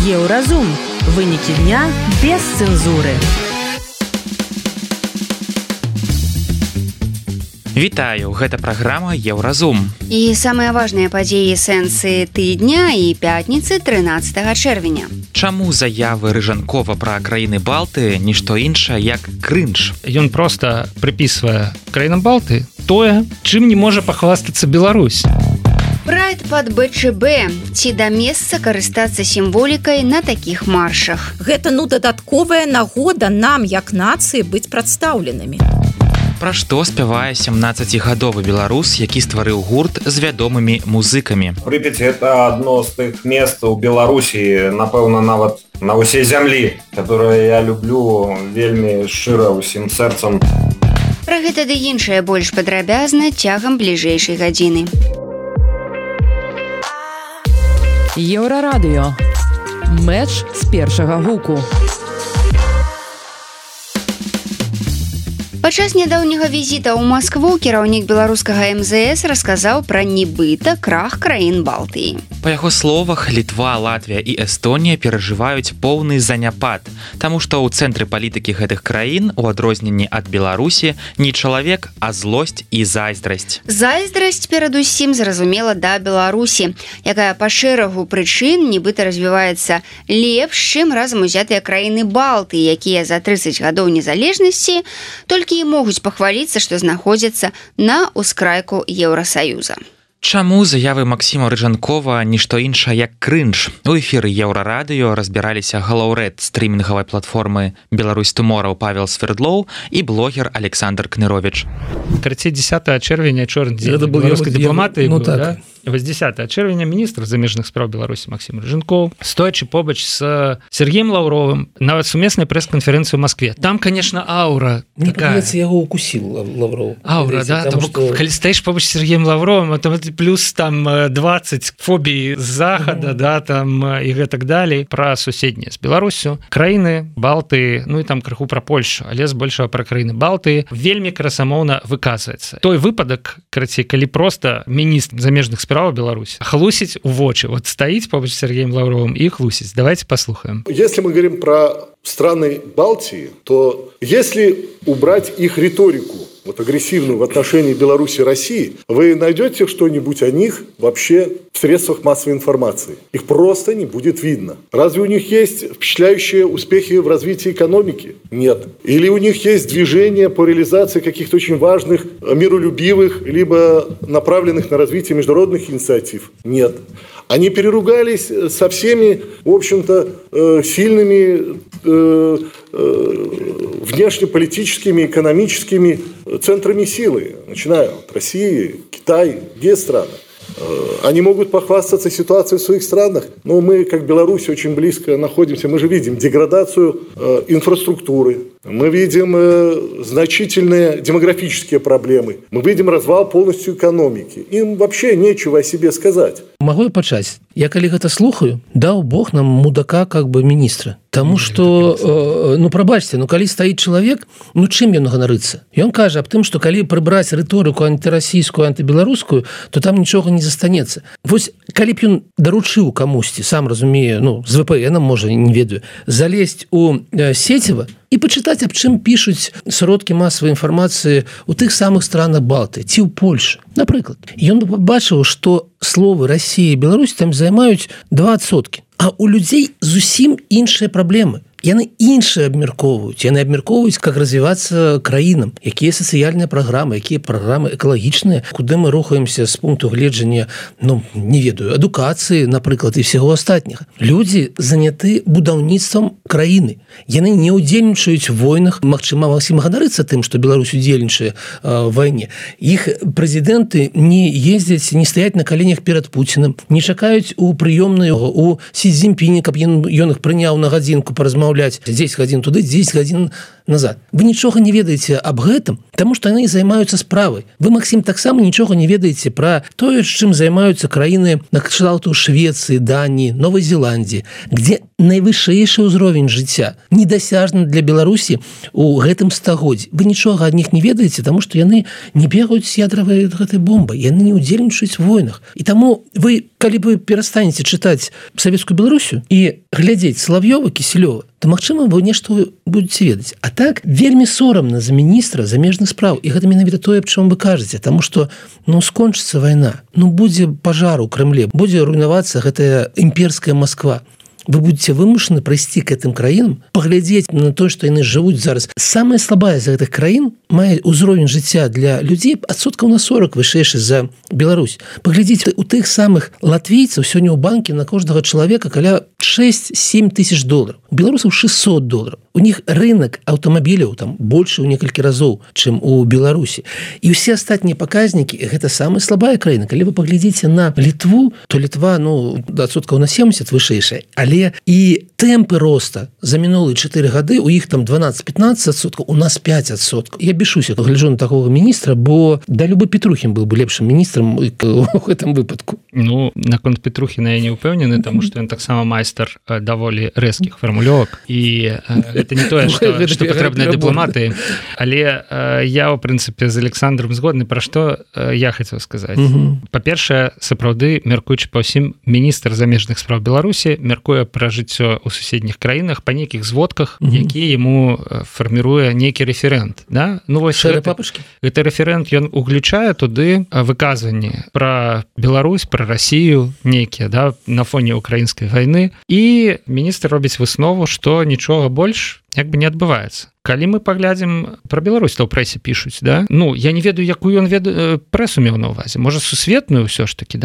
Еўразум. Вынікі дня без цэнзуры. Вітаю, гэта праграма Еўразум. І самыя важныя падзеі сэнсы тыдня і пятніцы 13 чэрвеня. Чаму заявы Рыжанкова пра краіны Балты нішто іншае, як крынж? Ён проста прыпісвае краінам Балты тое, чым не можа пахвастацца Беларусь. Прайд пад БЧБ. Ці да месца карыстацца сімволікай на такіх маршах. Гэта, дадатковая нагода нам, як нацыі, быць прадстаўленымі. Пра што спявае 17-гадовы беларус, які стварыў гурт з вядомымі музыкамі. Прыпяць – это адно з тых мест у Беларусі, напэўна, нават на ўсей зямлі, которое я люблю вельмі шчыра ўсім сэрцам. Пра гэта ды іншае больш падрабязна цягам бліжэйшай гадзіны. Еўрарадыё. Мэч з першага гуку. Падчас нядаўняга візіта ў Маскву кіраўнік беларускага МЗС расказаў пра нібыта крах краін Балтыі. Па яго словах, Літва, Латвія і Эстонія перажываюць поўны заняпад, таму што ў цэнтры палітыкі гэтых краін, у адрозненні ад Беларусі, не чалавек, а злосць і зайздрасць. Зайздрасць перадусім зразумела да Беларусі, якая па шэрагу прычын нібыта развіваецца лепш, чым разам узятыя краіны Балтыі, якія за 30 гадоў незалежнасці толькі і могуць пахваліцца, што знаходзяцца на ўскрайку Еўрасаюза. Чаму заявы Максіма Рыжанкова нішто іншае, як крынж? У эфіры Еўрарадыё разбіраліся галаўрэд стрімінгавай платформы «Беларусь Туморроу» Павел Свердлоў і блогер Александр Кнырович. 30 чэрвеня, чорны дзень беларускай дыпламатыі быў, да? Вось 10 чэрвеня міністр замежных спраў Беларусі Максім Рыжанкоў, стоячы побач з Сергеем Лаўровым, нават сумеснай прэс-канферэнцыі ў Маскве. Там, конечно, аура мне такая. Мне яго укусіл Лаўров. Аура, да? Там, что... Калі стаіш побач з Сергеем Лаўровым, там плюс там 20 фобій з захада, да, там і гэтак далей. Пра суседнія з Беларусю. Краіны Балты, ну і там крыху пра Польшу, але збольшага пра краіны Балты вельмі красамоўна выказваецца. Той выпадак, карацей, калі проста міністр замежных спраў Беларусь хлусить в вочи. Вот стоит побач с Сергеем Лавровым и хлусить. Давайте послушаем. Если мы говорим про страны Балтии, то если убрать их риторику, вот агрессивную в отношении Беларуси и России, вы найдете что-нибудь о них вообще в средствах массовой информации? Их просто не будет видно. Разве у них есть впечатляющие успехи в развитии экономики? Нет. Или у них есть движение по реализации каких-то очень важных, миролюбивых, либо направленных на развитие международных инициатив? Нет. Они переругались со всеми, в общем-то, сильными внешнеполитическими, экономическими центрами силы, начиная от России, Китая, другие страны. Они могут похвастаться ситуацией в своих странах, но мы, как Беларусь, очень близко находимся. Мы же видим деградацию инфраструктуры, мы видим значительные демографические проблемы, мы видим развал полностью экономики. Им вообще нечего о себе сказать. Могу я пачаць? Я калі гэта слухаю, даў Бог нам мудака как бы міністра. Таму што, прабачце, калі стаіць чалавек, чым ён ганарыцца? Ён кажа аб тым, што калі прыбраць рыторыку антырасійскую, антыбеларускую, то там нічога не застанецца. Вось, калі б ён даручыў камусьці, сам разумею, з VPN-ам, можа, не ведаю, залезть у сеціва і пачытаць, аб чым пішуць сродкі масавай інфармацыі ў тых самых странах Балты, ці ў Польшы. Напрыклад, ён бы пабачыў, што словы Россия и Беларусь там займаюць 2%. А у людзей зусім іншыя праблемы. Яны іншыя абмяркоўваюць. Яны абмяркоўваюць, как развівацца краінам, якія сацыяльныя праграмы, якія праграмы экалагічныя, куды мы рухаемся з пункту гледжання, не ведаю, адукацыі, напрыклад, і всего астатняга. Людзі заняты будаўніцтвам краіны. Яны не ўдзельнічаюць у войнах. Магчыма, Максім ганарыцца тым, што Беларусь удзельнічае в вайне. Іх прэзідэнты не ездзяць, не стаяць на каленях перад Пуціным, не чакаюць у прыёмнай у Сі Цзіньпіні, каб ён іх прыняў на гадзінку паразмаўляць. 10 гадзін туды, 10 гадзін назад. Вы нічога не ведаеце аб гэтым, таму што яны займаюцца справай. Вы, Максім, таксама нічога не ведаеце пра тое, чым займаюцца краіны на кшталту Швецыі, Даніі, Новай Зеландіі, дзе найвышэйшы ўзровень жыцця недасяжны для Беларусі у гэтым стагоддзі. Вы нічога ад них не ведаеце, таму што яны не бегаюць з ядравай гэтай бомбай, яны не ўдзельнічаюць у войнах. І таму вы, калі вы перастанеце чытаць савецкую Беларусію і глядзець Салав'ёва, Кісельова, то, магчыма, вы нешта будете ведаць. А так, вельмі сорамна за міністра замежных спраў. І гэта менавіта тое, аб чым вы кажаце, таму што, скончыцца вайна, будзе пажар у Крэмле, будзе руйнавацца гэтая імперская Москва. Вы будете вымушаны прайсці к гэтым краінам, паглядзець на то, што яны жывуць зараз. Самая слабая з гэтых краін мае ўзровень жыцця для людзей адсоткаў на 40 вышэйшы за Беларусь. Паглядзіце, у тых самых латвійцаў сёння ў банке на кожнага чалавека каля 6-7 тысяч долараў. У беларусаў 600 долараў. У них рынок аўтамабіляў там больше ў некалькі разоў, чым у Беларусі. І ўсе астатнія паказнікі гэта самая слабая краіна. Калі вы паглядзіце на Літву, то Літва адсоткаў на 70 вышэйшая, але і тэмпы роста за мінулыя 4 гады у іх там 12-15%, у нас 5%. Я бешуся, гляджу на такого міністра, бо да любы Петрухін быў бы лепшым міністрам у гэтым выпадку. Наконт Петрухіна я не ўпэўнены, таму што ён таксама майстар даволі рэзкіх фармулёвак, і это не тое, што патрэбныя дыпламаты, але я, у прынцыпе, з Александром згодны, пра што я хацеў сказаць. Па-першае, сапраўды, мяркуючы па ўсім, міністр замежных спраў Беларусі мяркуе пра жыццё ў суседніх краінах па нейкіх зводках, які яму фарміруе нейкі рэферэнт. Гэты рэферэнт, ён уключае туды выказванні пра Беларусь, пра Расію нейкія, на фоне украінскай вайны, і міністр робіць выснову, што нічога больш не адбываецца. Калі мы паглядзім пра Беларусь, то ў прэсе пішуць, я не ведаю, якую ён прэсу меў на ўвазе. Можа, сусветную ўсё ж такі,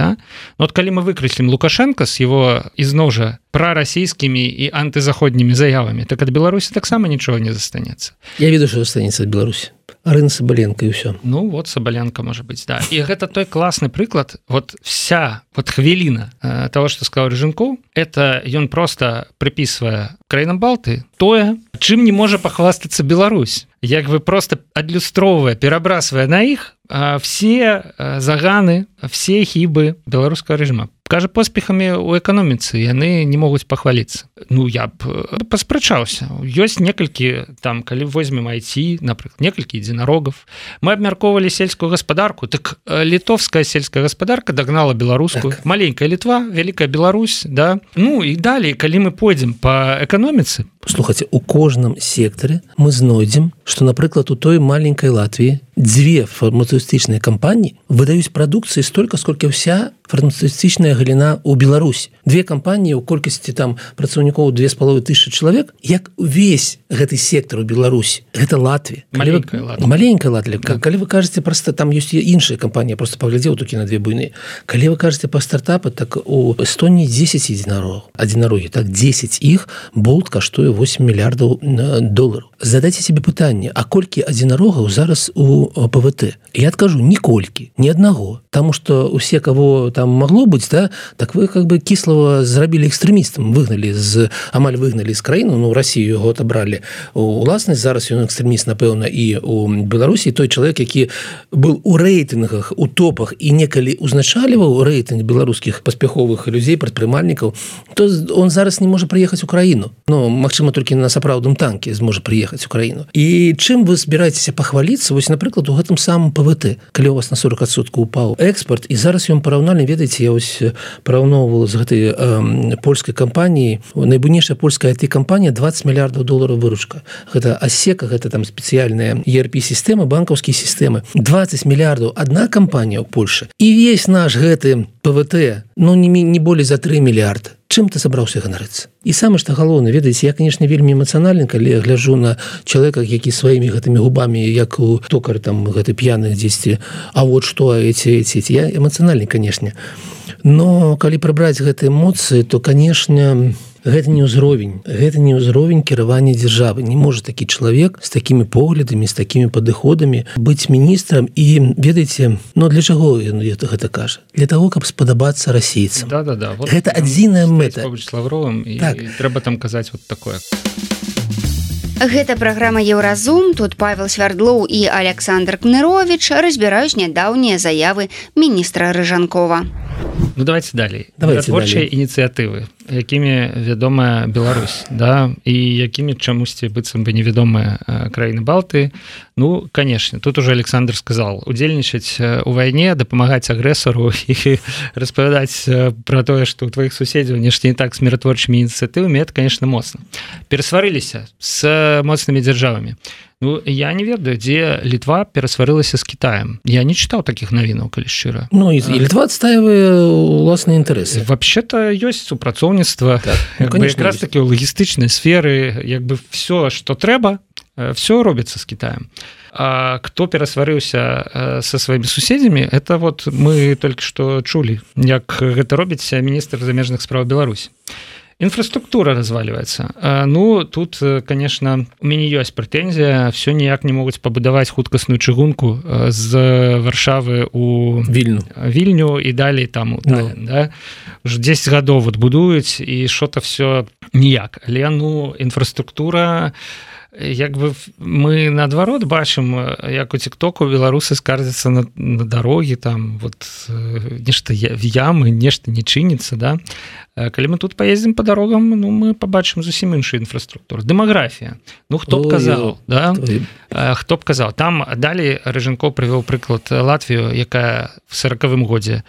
калі мы выкрэслім Лукашенко з его, ізноў жа, прарасійскімі і антызаходнімі заявамі, так ад Беларусі таксама нічога не застанецца. Я ведаю, што застанецца ад Беларусі. Арына Сабаленко і ўсё. Сабаленко, можа быць, да. І гэта той класны прыклад, вся хвіліна того, што сказаў Рыжанкоў, это ён проста прыпісвае краінам Балты тое, чым не можа пахвастацца Беларусь. Як бы просто адлюстроўвае, перабрасвае на іх все заганы, все хібы беларускага рэжыма. Кажа, поспехамі ў эканоміцы яны не могуць пахваліцца. Я б паспрачаўся. Ёсць некалькі, калі возьмем IT, напрыклад, некалькі единорогов. Мы абмяркоўвалі сельскую гаспадарку, так літовская сельская гаспадарка дагнала беларускую. Так. Маленькая Літва, вялікая Беларусь, і далей, калі мы пойдзем па эканоміцы. Слухайце, у кожным сектары мы знойдзем, што, напрыклад, у той маленькай Латвіі 2 фармацевтычныя кампаніі выдаюць прадукцыі столькі, сколькі ўся фармацевтычная галіна ў Беларусі. 2 кампаніі ў колькасці працаўнікоў 2500 чалавек, як увесь гэты сектар у Беларусі. Гэта Латвія. Маленькая Латвія. Калі вы кажаце, проста там ёсць іншыя кампаніі, я просто паглядзеў толькі на 2 буйныя. Калі вы кажаце па стартапы, так у Эстоніі 10 адзінарогі, 10 іх болт каштуе 8 мільярдаў долараў. Задайце себе пытанне, а колькі адзінарогаў зараз у ПВТ? Я адкажу, ніколькі, ні аднаго. Таму што усе, кого там могло быць, так вы Кіслава зрабілі экстрэмістам, амаль выгналі з краіны, Расію яго отобралі у ўласнасць, зараз ён экстрэміст, напэўна, і у Беларусі. Той чалавек, які быў у рэйтынгах, у топах і некалі узначальваў рэйтынг беларускіх паспяховых людзей, прадпрымальнікаў, то он зараз не можа прыехаць у краіну. Магчыма, толькі на сапраўдным танке зможа прыехаць у краіну. І чым вы збіраецеся пахваліцца? Напрыклад, у гэтым самым ПВТ, калі у вас на 40% упаў экспорт, і зараз ён параўнальна, ведаеце, я параўноўвала з гэтай польскай кампаніяй, найбуйнейшая польская IT-кампанія, 20 мільярдаў долараў выручка. Гэта асека, гэта спецыяльная ERP-сістэма, банкаўскія сістэмы. 20 мільярдаў адна кампанія ў Польшы. І весь наш гэты ПВТ, не болей за 3 мільярды. Чым ты сабраўся ганарыцца? І самае што галоўнае, ведаеце, я, канешне, вельмі эмацыянальны, калі я гляджу на чалавека, які сваімі гэтымі губамі, як у токар гэты п'яны дзесьці, а вот што, эти. Я эмацыянальны, канешне. Но калі прыбраць гэтыя эмоцыі, то, канешне, гэта не ўзровень кіравання дзяржавы. Не можа такі чалавек з такімі поглядамі, з такімі падыходамі быць міністрам. І ведаеце, для чаго ён гэта кажа? Для таго, каб спадабацца расійцам. Гэта адзіная мэта. Побач з Лавровым, і трэба там казаць такое. Гэта праграма «Еўразум». Тут Павел Свярдлоў і Александр Кнырович разбіраюць нядаўнія заявы міністра Рыжанкова. Ну, давайте далей. Творчыя ініцыятывы, якімі вядомая Беларусь, да, і якімі чамусьці быццам бы невядомыя краіны Балты. Ну, конечно, тут уже Александр сказал, удзельнічаць у вайне, дапамагаць агрэсару і распавядаць пра тое, што ў тваіх суседзяў нешта не так з міратворчымі ініцыятывамі, это, конечно, моцна. Перасварыліся з моцнымі дзяржавамі. Ну, я не ведаю, дзе Літва перасварылася з Кітаем. Я не чытаў такіх навінаў, калі шчыра. Ну, і Літва адстаивае ўласныя інтарэсы. Вообще-то ёсць супрацоўніцтва. Так, ну, якраз такі ў лагістычнай сферы, як бы все, што трэба, все робіцца з Кітаем. А кто перасварыўся со сваімі суседзямі, это вот мы толькі што чулі, як гэта робіць міністр замежных спраў Беларусі. Инфраструктура разваливается. Ну, тут, конечно, у мяне ёсць прэтэнзія, все ніяк не могуць пабудаваць хуткасную чыгунку з Варшавы у Вільню і далей там у Таллін, да? Уже 10 гадоў вот будуюць, і что-то все ніяк. Але, ну, инфраструктура, як бы мы наадварот бачым, як у тиктоку беларусы скардзяцца на дарогі, там вот нешта в ямы, нешта не чыніцца, да? Калі мы тут поездзім по дорогам, ну, мы побачым зусім іншую інфраструктуру. Дэмаграфія. Ну, хто б казаў, да? Хто б казаў. Там далей Рыжанкоў прывёў прыклад Латвію, якая в 40-м годзе,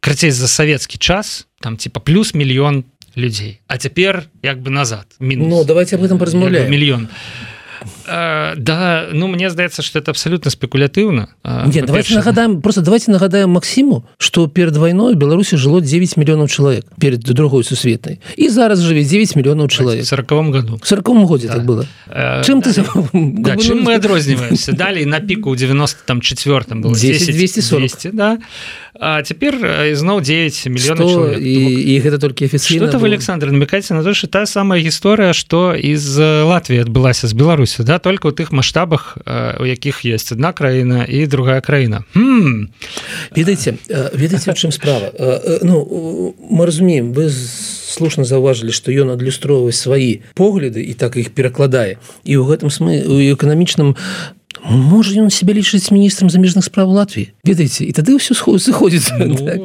крацей за савецкі час, там типа плюс мільён людей. А цяпер як бы назад. Минус. Ну, давайте об этом поразмаўляем. Мільён. Да, ну, мне здаецца, что это абсолютно спекулятыўна. Нет, давайте нагадаем Максиму, что перед войной в Беларуси жило 9 миллионов человек перед Другой Сусветной. И зараз живет 9 миллионов человек. В 40-м году. В 40-м году так было. Чем ты... Да, чем мы отрозниваемся? Далее на пику в 94-м было 10-240. Да. А теперь изноў 9 миллионов человек. И это только официально. Что-то вы, Александр, намекаете на то, что та самая история, что из Латвии отбылась с Беларусью, да, только в тых масштабах, у якіх есть одна краіна и другая краіна. Ведаеце, в чым справа? Ну, мы разумеем, вы слушна заўважылі, што ён адлюстроўвае свае погляды і так іх перакладае. І ў гэтым у эканамічным можа ён себя лічыць міністрам замежных спраў Латвіі, ведаеце, і тады ўсё сыходзіцца. Ну, так?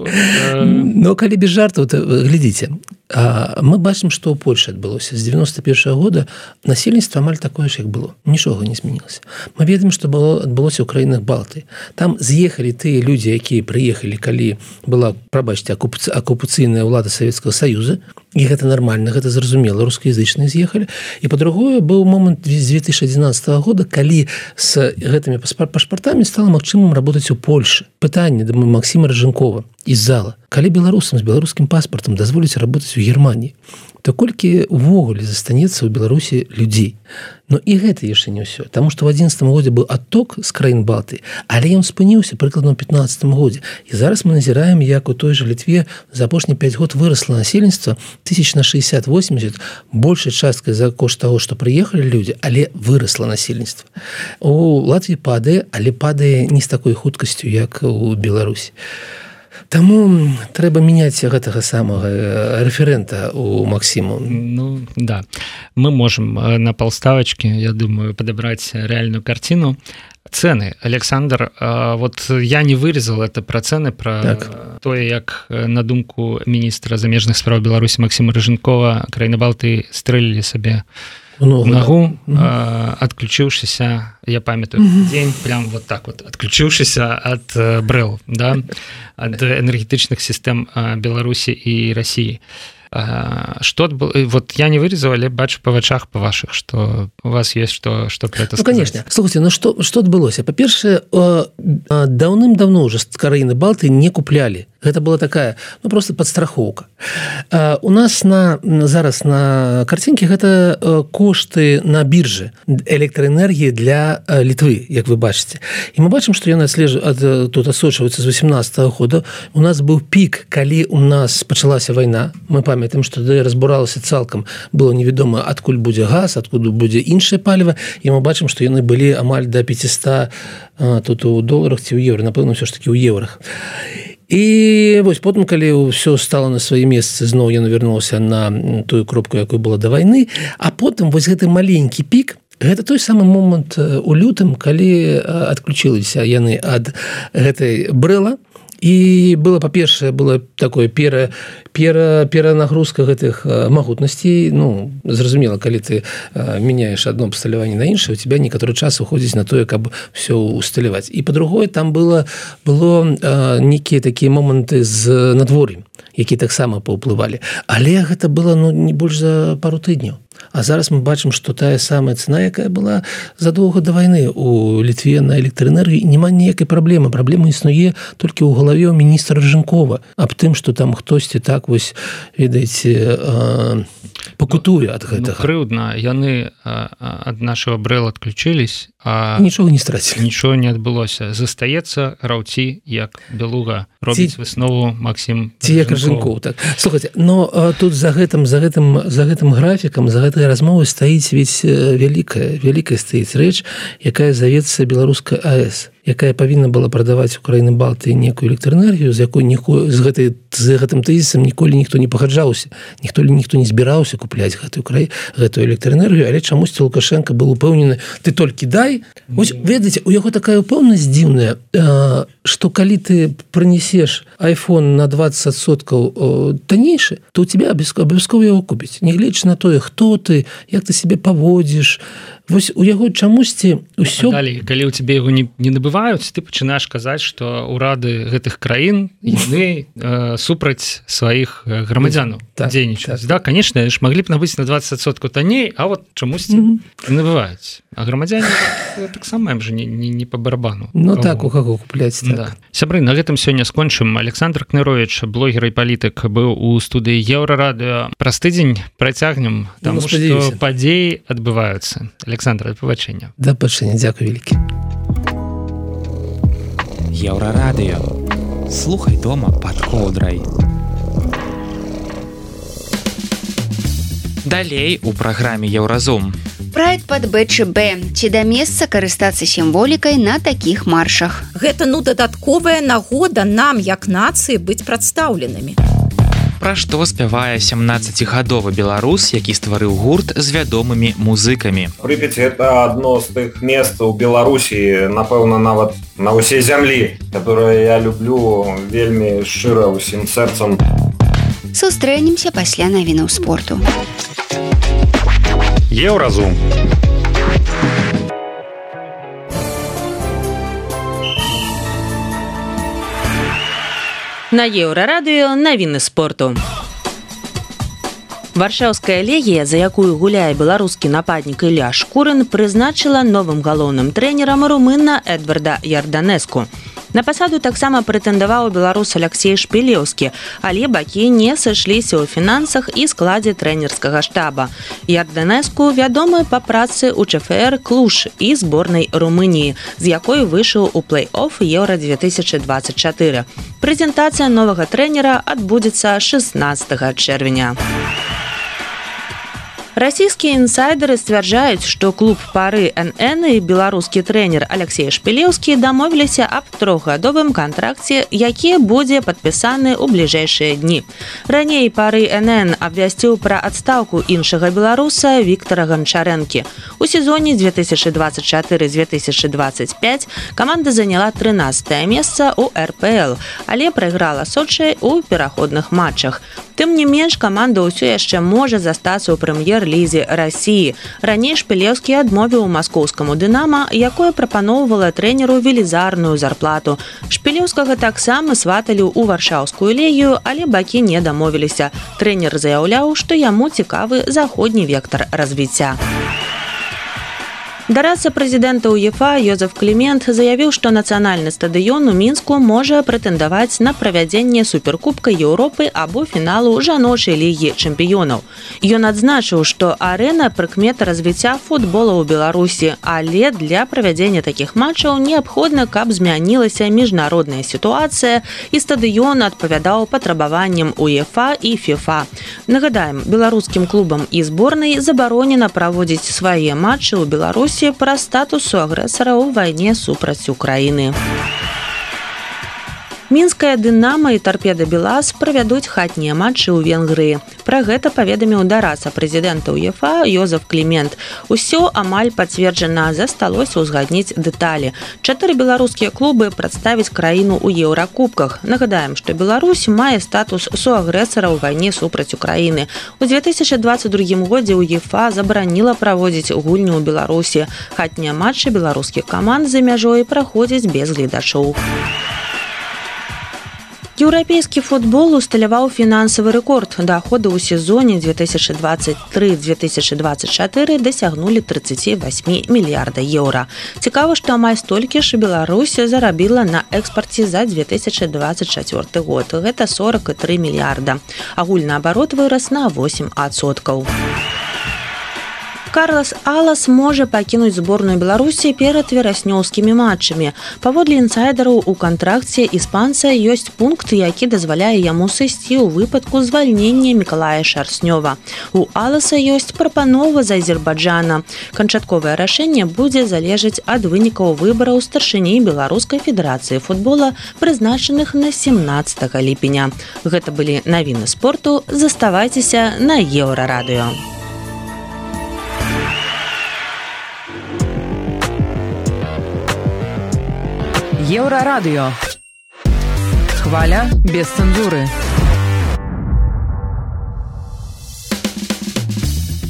Но калі без жартаў, то глядзіце, мы бачым, што ў Польшы адбылося з 91-го года насельніцтва амаль такое ж, як было, нічога не змянілася. Мы ведаем, што адбылося ў краінах Балты. Там з'ехалі тыя людзі, якія прыехалі, калі была, прабачце, акупацыйная ўлада Савецкага Саюза, і гэта нармальна, гэта зразумела, рускаязычныя з'ехалі. І па-другое, быў момант з 2011 года, калі з гэтымі пашпартамі стала магчымым работаць у Польшы. Пытанне да Максима Рыжанкова из зала. Калі беларусам з беларускім паспартам дазволіць работаць у Германії, то колькі увогуле застанецца ў Беларусі людзей. Но і гэта яшчэ не ўсё. Таму што ў 2011 годзе быў адток з краін Балты, але ён спыніўся прыкладна ў 2015 годзе. І зараз мы назіраем, як у той жа Літве за апошні 5 год вырасла насельніцтва 1000 на 60-80, большай часткай за кошт таго, што прыехалі людзі, але вырасла насельніцтва. У Латвіі падае, але падае не з такой хуткасцю, як у Беларусі. Таму трэба мяняць гэтага самага рэферэнта у Максиму. Ну, да. Мы можем на полставочки, я думаю, подобрать реальную картину. Цены. Александр, вот я не вырезал это про цены, про так. То, як на думку міністра замежных спраў Беларусі Максима Рыжанкова краіны Балты стрэлілі сабе ногу, отключившийся, я памятаю, день прям вот так вот, отключившийся от БРЭЛ, да, от энергетичных систем Беларуси и России. Что вот я не вырезал, але бачу по вачах по ваших, что у вас есть что про это сказать. Ну, конечно. Слушайте, ну что отбылося? По-перше, давным-давно уже краіны Балты не купляли. Это была такая, ну, просто подстраховка. У нас зараз на картинке гэта кошты на бирже электроэнергии для Литвы, як вы бачите. И мы бачим, что яна тут асочваецца з 18 года. У нас был пик, калі у нас пачалася война. Мы памятаем, што разбуралася цалкам, было невядома, адкуль будзе газ, адкуль будзе іншае паліва, і мы бачым, што яны былі амаль до 500 тут у доларах ці ў еўра, напэўна, ўсё ж такі ў еўрах. І вось потым, калі ўсё стало на свае месцы, зноў яна вярнулася на тую кропку, якой была да вайны, а потым вось гэты маленькі пік Гэта той самы момант у лютым, калі адключыліся яны ад гэтай брэла, і было, па-першае, было такое перанагрузка гэтых магутнасцей. Ну, зразумела, калі ты мяняеш адно абсталяванне на іншае, у тебя некаторы час уходзіць на тое, каб все усталяваць. І па-другое, там было нейкія такія моманты з надвор'ем, якія таксама паўплывалі. Але гэта было не больш за пару тыдняў. А зараз мы бачым, што тая самая цена, якая была задоўга да вайны у Літве на электраэнергію, няма ніякай праблемы. Праблема існуе толькі ў галаве ў міністра Рыжанкова аб тым, што там хтосьці так вось, ведаеце, пакутуе ад гэтага. Крыўдна, яны ад нашага брэла адключылись, а нічога не страцілі. Нічого не адбылося. Застаецца граўці як Белуга. Робіць выснову Максім Ці як Рыжанков, так. Слухайте, но тут за гэтым графікам, за гэтай размовай стаіць ведь вялікая стаіць рэч, якая завецца Беларуская АЭС, якая павінна была прадаваць Украіны Балтыі некую электраэнергію, з якой з гэтым тэзісам ніколі ніхто не пагаджаўся, ніхто не збіраўся купляць гэтую электраэнергію, але чамусьці Лукашенко быў упэўнены, ты толькі дай. Вось, ведаеце, у яго такая упэўнасць дзіўная, што калі ты прынесеш iPhone на 20% таннейшы, то у тебя абавязкова яго купіць, нягледзячы на тое, хто ты, як ты себе паводзіш. Вось у яго чамусьці ўсё... Далей, калі ў тебе яго не набываюць, ты пачынаеш казаць, што ўрады гэтых краін яны супраць сваіх грамадзянаў дзейнічаюць. Да, конечно, ж маглі б набыць на 20% танней, а вот чамусьці набываюць. А грамадзяне таксама ім жа не па барабану. Ну так, у каго купляць. Так. Да. Сябры, на гэтым сёння скончым. Александр Кнырович, блогер і палітык, быў у студыі Еўрарадыё. Праз тыдзень працягнем, таму што падзеі адбываюцца. Александр, да пабачэння. Да пабачэння, дзякуй вялікі. Еўрарадыё. Слухай дома пад коўдрай. Далей у праграме Еўразум. Прайд пад БЧБ. Ці да месца карыстацца сімволікай на такіх маршах? Гэта дадатковая нагода нам, як нацыі, быць прадстаўленымі. Пра што спявае 17-гадовы беларус, які стварыў гурт з вядомымі музыкамі. Прыпяць – это адно з тых месцаў Беларусі, напэўна, нават на ўсей зямлі, которое я люблю вельмі шчыра ўсім сэрцам. Сустрэнемся пасля навінаў спорту. Еўразум. На Еўрарадыё навіны спорту. Варшаўская легія, за якую гуляе беларускі нападнік Ілля Шкурын, прызначыла новым галоўным трэнерам румына Эдварда Ярданеску. На пасаду таксама прэтэндаваў беларус Алексей Шпілеўскі, але бакі не сышліся ў фінансах і складзе трэнерскага штаба. Ярданеску вядомы па працы ў ЧФР Клуж і зборнай Румыніі, з якой выйшаў у плэй-офф Еўра-2024. Прэзентацыя новага трэнера адбудзецца 16 чэрвеня. Расійскія інсайдеры сцвярджаюць, што клуб пары НН і беларускі трэнер Алексей Шпілеўскі дамовіліся аб 3-гадовым кантракце, які будзе падпісаны ў бліжэйшыя дні. Раней пары НН абвясціў пра адстаўку іншага беларуса Віктара Ганчарэнкі. У сезоне 2024-2025 каманда заняла 13-е месца ў РПЛ, але прайграла Сочы ў пераходных матчах. Тым не менш, каманда ўсё яшчэ можа застацца ў прэм'ер-лізе Расіі. Раней Шпілеўскі адмовіў маскоўскаму «Дынама», якое прапаноўвала трэнеру велізарную зарплату. Шпілеўскага таксама сваталі ў варшаўскую легію, але бакі не дамовіліся. Трэнер заяўляў, што яму цікавы заходні вектар развіцця. Дарадца прэзідэнта УЕФА Йозеф Клімент заявіў, што нацыянальны стадыён у Мінску можа прэтэндаваць на правядзенне суперкубка Еўропы або фіналу жаночай лігі чэмпіёнаў. Ён адзначыў, што арэна прыкмета развіцця футбола ў Беларусі, але для правядзення такіх матчаў неабходна, каб змянілася міжнародная сітуацыя і стадыён адпавядаў патрабаванням УЕФА і ФІФА. Нагадаем, беларускім клубам і зборнай забаронена праводзіць свае матчы ў Беларусі пра статусу агрэсара ў вайне супраць Украіны. Мінская «Дынама» і «Торпеда Белаз» правядуць хатнія матчы ў Венгрыі. Пра гэта паведаміў дараца прэзідэнта УЕФА Йозеф Клімент. Усё амаль пацверджана, засталося ўзгадніць дэталі. 4 беларускія клубы прадставяць краіну ў еўракубках. Нагадаем, што Беларусь мае статус суагрэсара ў вайне супраць Украіны. У 2022 годзе УЕФА забараніла праводзіць гульню ў Беларусі. Хатнія матчы беларускіх каманд за мяжой праходзяць без гледачоў. Еўрапейскі футбол усталяваў фінансавы рэкорд. Даходы ў сезоне 2023-2024 дасягнулі 38 мільярда еўра. Цікава, што амаль столькі ж Беларусь зарабіла на экспарце за 2024 год. Гэта 43 мільярда. Агульны абарот вырас на 8%. Карлас Алас можа пакінуць зборную Беларусі перад вераснёўскімі матчамі. Паводле інсайдераў, у кантракце іспанца ёсць пункт, які дазваляе яму сысці ў выпадку звальнення Мікалая Шарснёва. У Аласа ёсць прапанова з Азербайджана. Канчатковае рашэнне будзе залежаць ад вынікаў выбараў старшыні Беларускай федэрацыі футбола, прызначаных на 17 ліпеня. Гэта былі навіны спорту. Заставайцеся на Еўрарадыё. Еўрарадыё. Хваля без цэнзуры.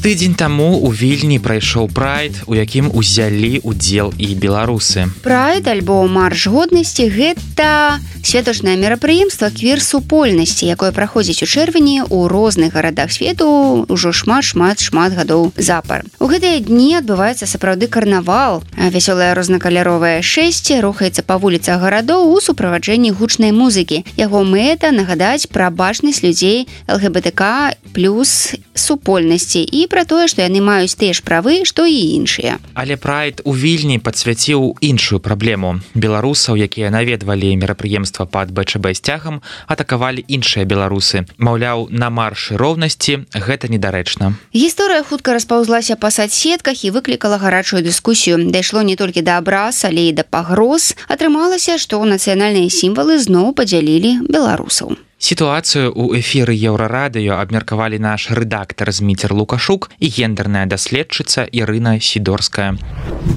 Тыдзень таму ў Вільні прайшоў прайд, у якім узялі ўдзел і беларусы. Прайд альбо марш годнасці – гэта святочнае мерапрыемства квір-супольнасці, якое праходзіць у чэрвені ў розных гарадах свету ўжо шмат гадоў запар. У гэтыя дні адбываецца сапраўды карнавал. Вясёлае рознакаляровае шэсце рухаецца па вуліцах гарадоў у суправаджэнні гучнай музыкі. Яго мэта – нагадаць пра бачнасць людзей ЛГБТК плюс супольнасці і пра тое, што яны маюць тыя ж правы, што і іншыя. Але прайд у Вільні падсвяціў іншую праблему. Беларусаў, якія наведвалі мерапрыемства пад БЧБ сцягам, атакавалі іншыя беларусы. Маўляў, на маршы роўнасці гэта недарэчна. Гісторыя хутка распаўзлася па садсетках і выклікала гарачую дыскусію. Дайшло не толькі да абраз, але і да пагроз. Атрымалася, што нацыянальныя сімвалы зноў падзялілі беларусаў. Сітуацыю ў эфіры Еўрарадыё абмеркавалі наш рэдактар Зміцер Лукашук і гендерная даследчыца Ірына Сідорская.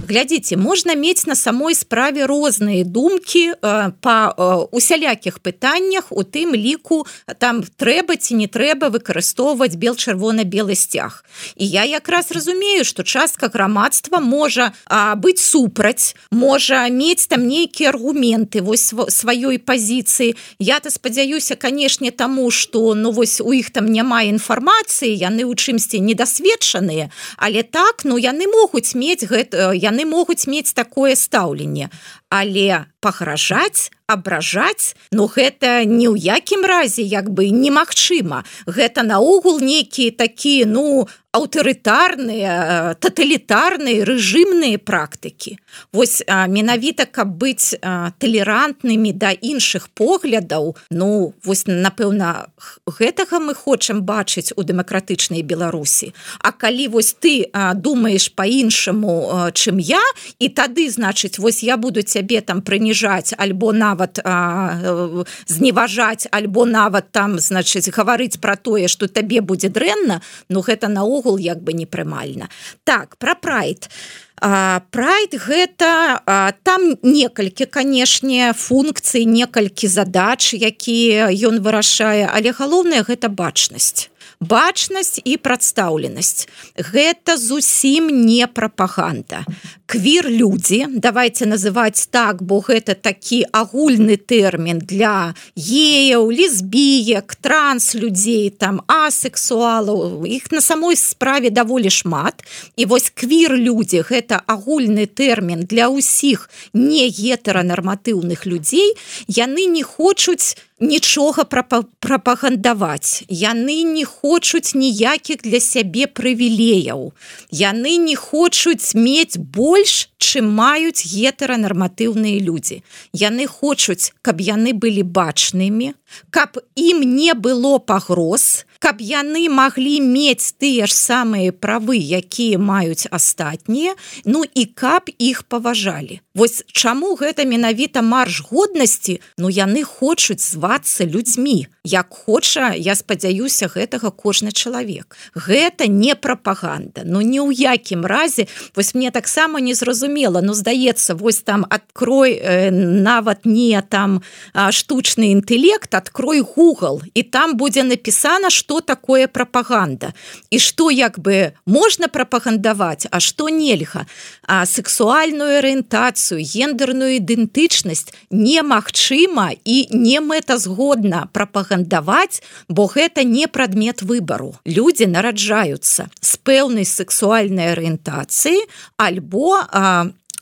Глядзіце, можна мець на самой справе розныя думкі па усялякіх пытаннях, у тым ліку там трэба ці не трэба выкарыстоўваць бел-чырвона-белы сцяг. І я якраз разумею, што частка грамадства можа быць супраць, можа мець там нейкія аргументы вось сваёй пазіцыі. Я-то спадзяюся, канешне, таму, што вось у іх там няма інфармацыі, яны ў чымсьці недасведчаныя, але так, яны могуць мець такое стаўленне. Але пагражаць, абражаць, гэта ні ў якім разе немагчыма. Гэта наогул нейкія такія, аўтарытарныя, таталітарныя, рэжымныя практыкі. Вось менавіта, каб быць талерантнымі да іншых поглядаў, вось, напэўна, гэтага мы хочам бачыць у дэмакратычнай Беларусі. А калі вось ты думаеш па-іншаму, чым я, і тады, значыць, вось я буду цябе там прыніжаць, альбо нават зневажаць, альбо нават там, значыць, гаварыць пра тое, што табе будзе дрэнна, гэта наогул непрымальна. Так, пра прайд. Прайд гэта, там некалькі, канешне, функцый, некалькі задач, якія ён вырашае, але галоўнае гэта бачнасць. Бачнасць і прадстаўленасць. Гэта зусім не прапаганда. Квір-людзі, давайте называць так, бо гэта такі агульны тэрмін для геяў, лесбіек, транс-людзей, там, асексуалаў. Іх на самой справе даволі шмат. І вось квір-людзі – гэта агульны тэрмін для ўсіх не гетаранарматыўных людзей. Яны не хочуць нічога прапагандаваць. Яны не хочуць ніякіх для сябе прывілеяў. Яны не хочуць мець больш, чым маюць гетэранарматыўныя людзі. Яны хочуць, каб яны былі бачнымі, каб ім не было пагроз, каб яны маглі мець тыя ж самыя правы, якія маюць астатнія, ну і каб іх паважалі. Вось чаму гэта менавіта марш годнасці? Ну яны хочуць звацца людзьмі, як хоча, я спадзяюся, гэтага кожны чалавек. Гэта не прапаганда, ну ні ў якім разе. Вось мне таксама незразумела, ну здаецца, вось там адкрой нават не там штучны інтэлект, адкрой Google, і там будзе напісана, што такое прапаганда, і што як бы можна прапагандаваць, а што нельга. А сексуальную арыентацыю, гендерную ідэнтычнасць немагчыма і не мэтазгодна прапагандаваць, бо гэта не прадмет выбару. Людзі нараджаюцца з пэўнай сексуальнай арыентацыі альбо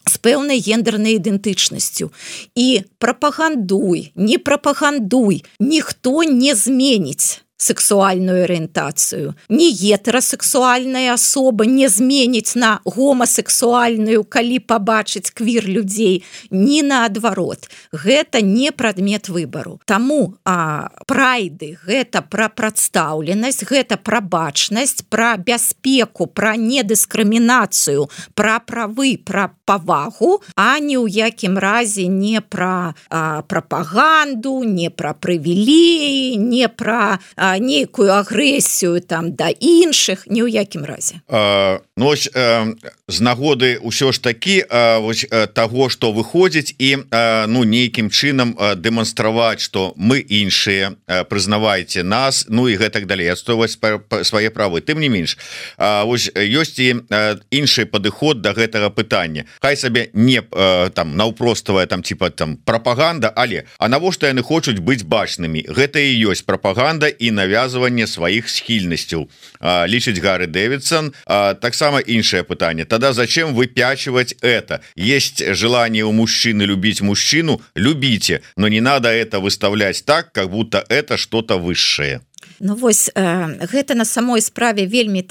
з пэўнай гендернай ідэнтычнасцю. І прапагандуй, не прапагандуй, ніхто не зменіць сексуальную арыентацыю. Ні гетерасексуальная асоба не зменіць на гомасексуальную, калі пабачыць квір людзей, ні наадварот. Гэта не прадмет выбару. Таму прайды гэта пра прадстаўленасць, гэта пра бачнасць, пра бяспеку, пра недыскрымінацыю, пра правы, пра павагу, а ні ў якім разе не пра прапаганду, не пра прывілеі, не пра нейкую агрэсію там да іншых, ні ў якім разе. Ну, ось, з нагоды ўсё ж такі ось, таго, што выходзіць і ну, нейкім чынам дэманстраваць, што мы іншыя, прызнавайце нас, ну і гэтак далей, адстойваць свае правы. Тым не менш, ось, ёсць і іншы падыход да гэтага пытання. Хай сабе не там наўпроставая там типа там прапаганда, але а навошта яны хочуць быць бачнымі? Гэта і ёсць прапаганда і навязывание сваіх схільнасцяў, лічыць Гарри Дэвидсон. Таксама іншае пытанне. Тогда зачем выпячивать это? Есть желание у мужчины любить мужчину, любите, но не надо это выставлять так, как будто это что-то высшее. Ну вось, гэта на самой справе вельмі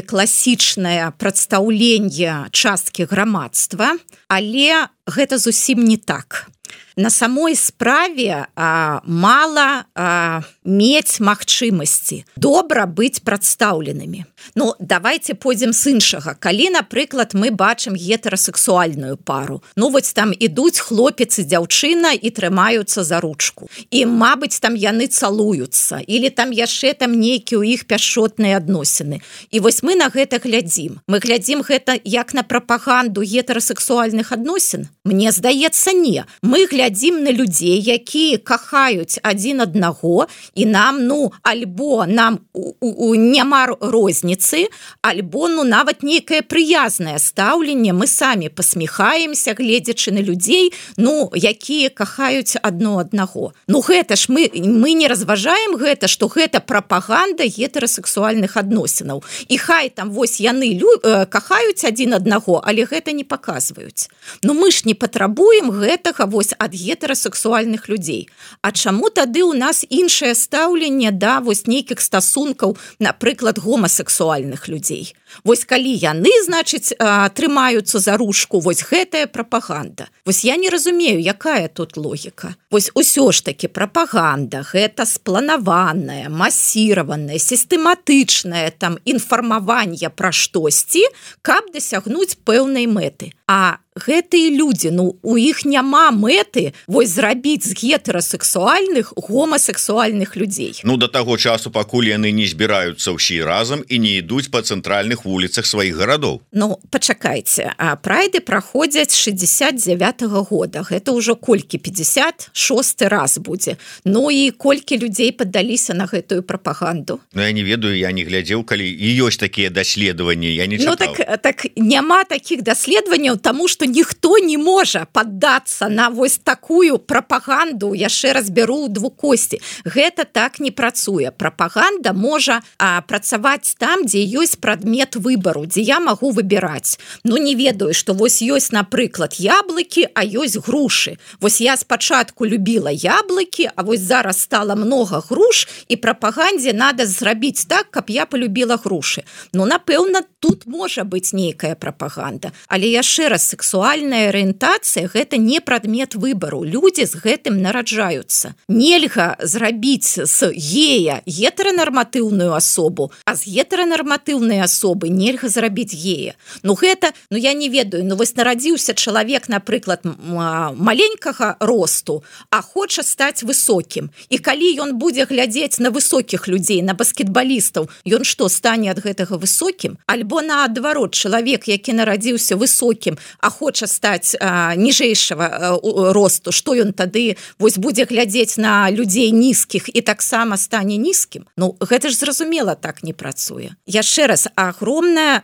класічнае прадстаўленне часткі грамадства, але гэта зусім не так. На самой справе мала мець магчымасці добра быць прадстаўленымі. Ну, давайте пойдзем з іншага. Калі, напрыклад, мы бачым гетерасексуальную пару, ну, вось там ідуць хлопец і дзяўчына і трымаюцца за ручку. І, мабыць, там яны цалуюцца, или там яшчэ там нейкія ў іх пяшчотныя адносіны. І вось мы на гэта глядзім. Мы глядзім гэта як на прапаганду гетерасексуальных адносін? Мне здаецца, не. Мы глядзім на людзей, якія кахаюць адзін аднаго, і нам, ну, альбо нам няма розніцы, альбо, ну, нават нейкае прыязнае стаўленне, мы самі пасміхаемся, гледзячы на людзей, ну, якія кахаюць адно аднаго. Ну, гэта ж мы не разважаем гэта, што гэта прапаганда гетерасексуальных адносінаў. І хай там вось яны кахаюць адзін аднаго, але гэта не паказваюць. Ну, мы ж не патрабуем гэтага вось ад гетерасексуальных людзей. А чаму тады ў нас іншае стаўленне да вось нейкіх стасункаў, напрыклад, гомасексуальных людзей? Вось калі яны, значыць, трымаюцца за ручку, вось гэтая прапаганда. Вось я не разумею, якая тут логіка. Вось усё ж такі прапаганда, гэта спланаванае, масіраванае, сістэматычнае там інфармаванне пра штосьці, каб дасягнуць пэўнай мэты. А гэтыя людзі, ну, у іх няма мэты вось зрабіць з гетерасексуальных гомасексуальных людзей. Ну, да таго часу, пакуль яны не збіраюцца ўсе разам і не ідуць па цэнтральных вуліцах сваіх гарадоў. Ну, пачакайце, а прайды праходзяць 69-го года. Гэта ўжо колькі, 56-й раз будзе. Ну і колькі людзей паддаліся на гэтую прапаганду? Ну, я не ведаю, я не глядзеў, калі і ёсць такія даследаванні, я не чытаў. Ну, так няма такіх даследаванняў, таму што что ніхто не можа паддацца на вось такую прапаганду, яшчэ раз бяру ў двукосці. Гэта так не працуе. Прапаганда можа працаваць там, дзе ёсць прадмет выбару, дзе я магу выбіраць. Ну, не ведаю, што вось ёсць, напрыклад, яблыкі, а ёсць грушы. Вось я спачатку любіла яблыкі, а вось зараз стала много груш, і прапагандзе надо зрабіць так, каб я полюбіла грушы. Ну, напэўна, тут можа быць нейкая прапаганда. Але яшчэ раз, сексуальная арыентацыя – гэта не прадмет выбару. Людзі з гэтым нараджаюцца. Нельга зрабіць з гея гетеранарматыўную асобу, а з гетеранарматыўнай асобы нельга зрабіць гея. Ну, гэта, ну, я не ведаю, ну, вось нарадзіўся чалавек, напрыклад, маленькага росту, а хоча стаць высокім. І калі ён будзе глядзець на высокіх людзей, на баскетбалістаў, ён што, стане ад гэтага высокім? Альбо наадварот, чалавек, які нарадзіўся высокім, а хоча стаць ніжэйшага росту, што ён тады вось будзе глядзець на людзей нізкіх і таксама стане нізкім? Ну, гэта ж зразумела так не працуе. Яшчэ раз, агромная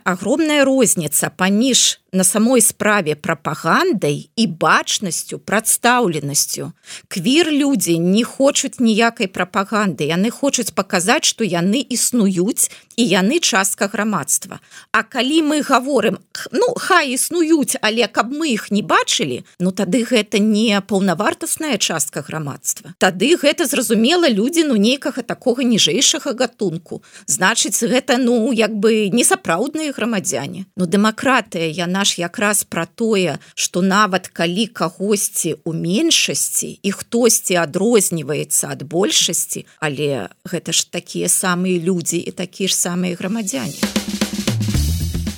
розніца паміж на самой справе прапагандай і бачнасцю, прадстаўленасцю. Квір-людзі не хочуць ніякай прапаганды, яны хочуць паказаць, што яны існуюць і яны частка грамадства. А калі мы гаворым, ну, хай існуюць, але каб мы іх не бачылі, ну, тады гэта не паўнавартасная частка грамадства. Тады гэта, зразумела, людзі, ну, нейкага такога ніжэйшага гатунку. Значыць, гэта, ну, як бы несапраўдныя грамадзяне. Ну, дэмакратыя, яна ж якраз пра тое, што нават калі кагосьці ў меншасці і хтосьці адрозніваецца ад большасці, але гэта ж такія самыя людзі і такія ж самыя грамадзяне.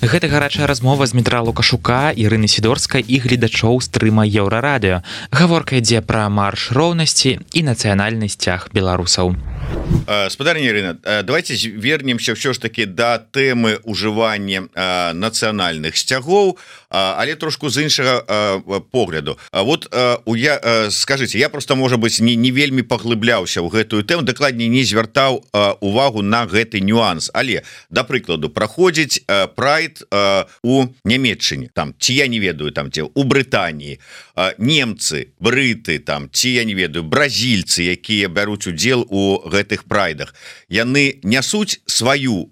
Гэта гарачая размова з Дмітра Лукашука, Ірыны Сідорскай і гледачоў стрыма Еўрарадыё. Гаворка ідзе пра марш роўнасці і нацыянальны сцяг беларусаў. Спадарня Ірына, давайте вернемся ўсё ж таки да тэмы ўжывання нацыянальных сцягоў, але трошку з іншага погляду. Вот скажите, я просто, можа быць, не вельмі паглыбляўся ў гэтую тэму, дакладней не звяртаў увагу на гэты нюанс. Але, да прыкладу, праходзіць прайд у Нямецчыне, там, ці я не ведаю, там, ці у Брытаніі, немцы, брыты, там, ці я не ведаю, бразільцы, якія бяруць удзел у гэтых прайдах, яны нясуць сваю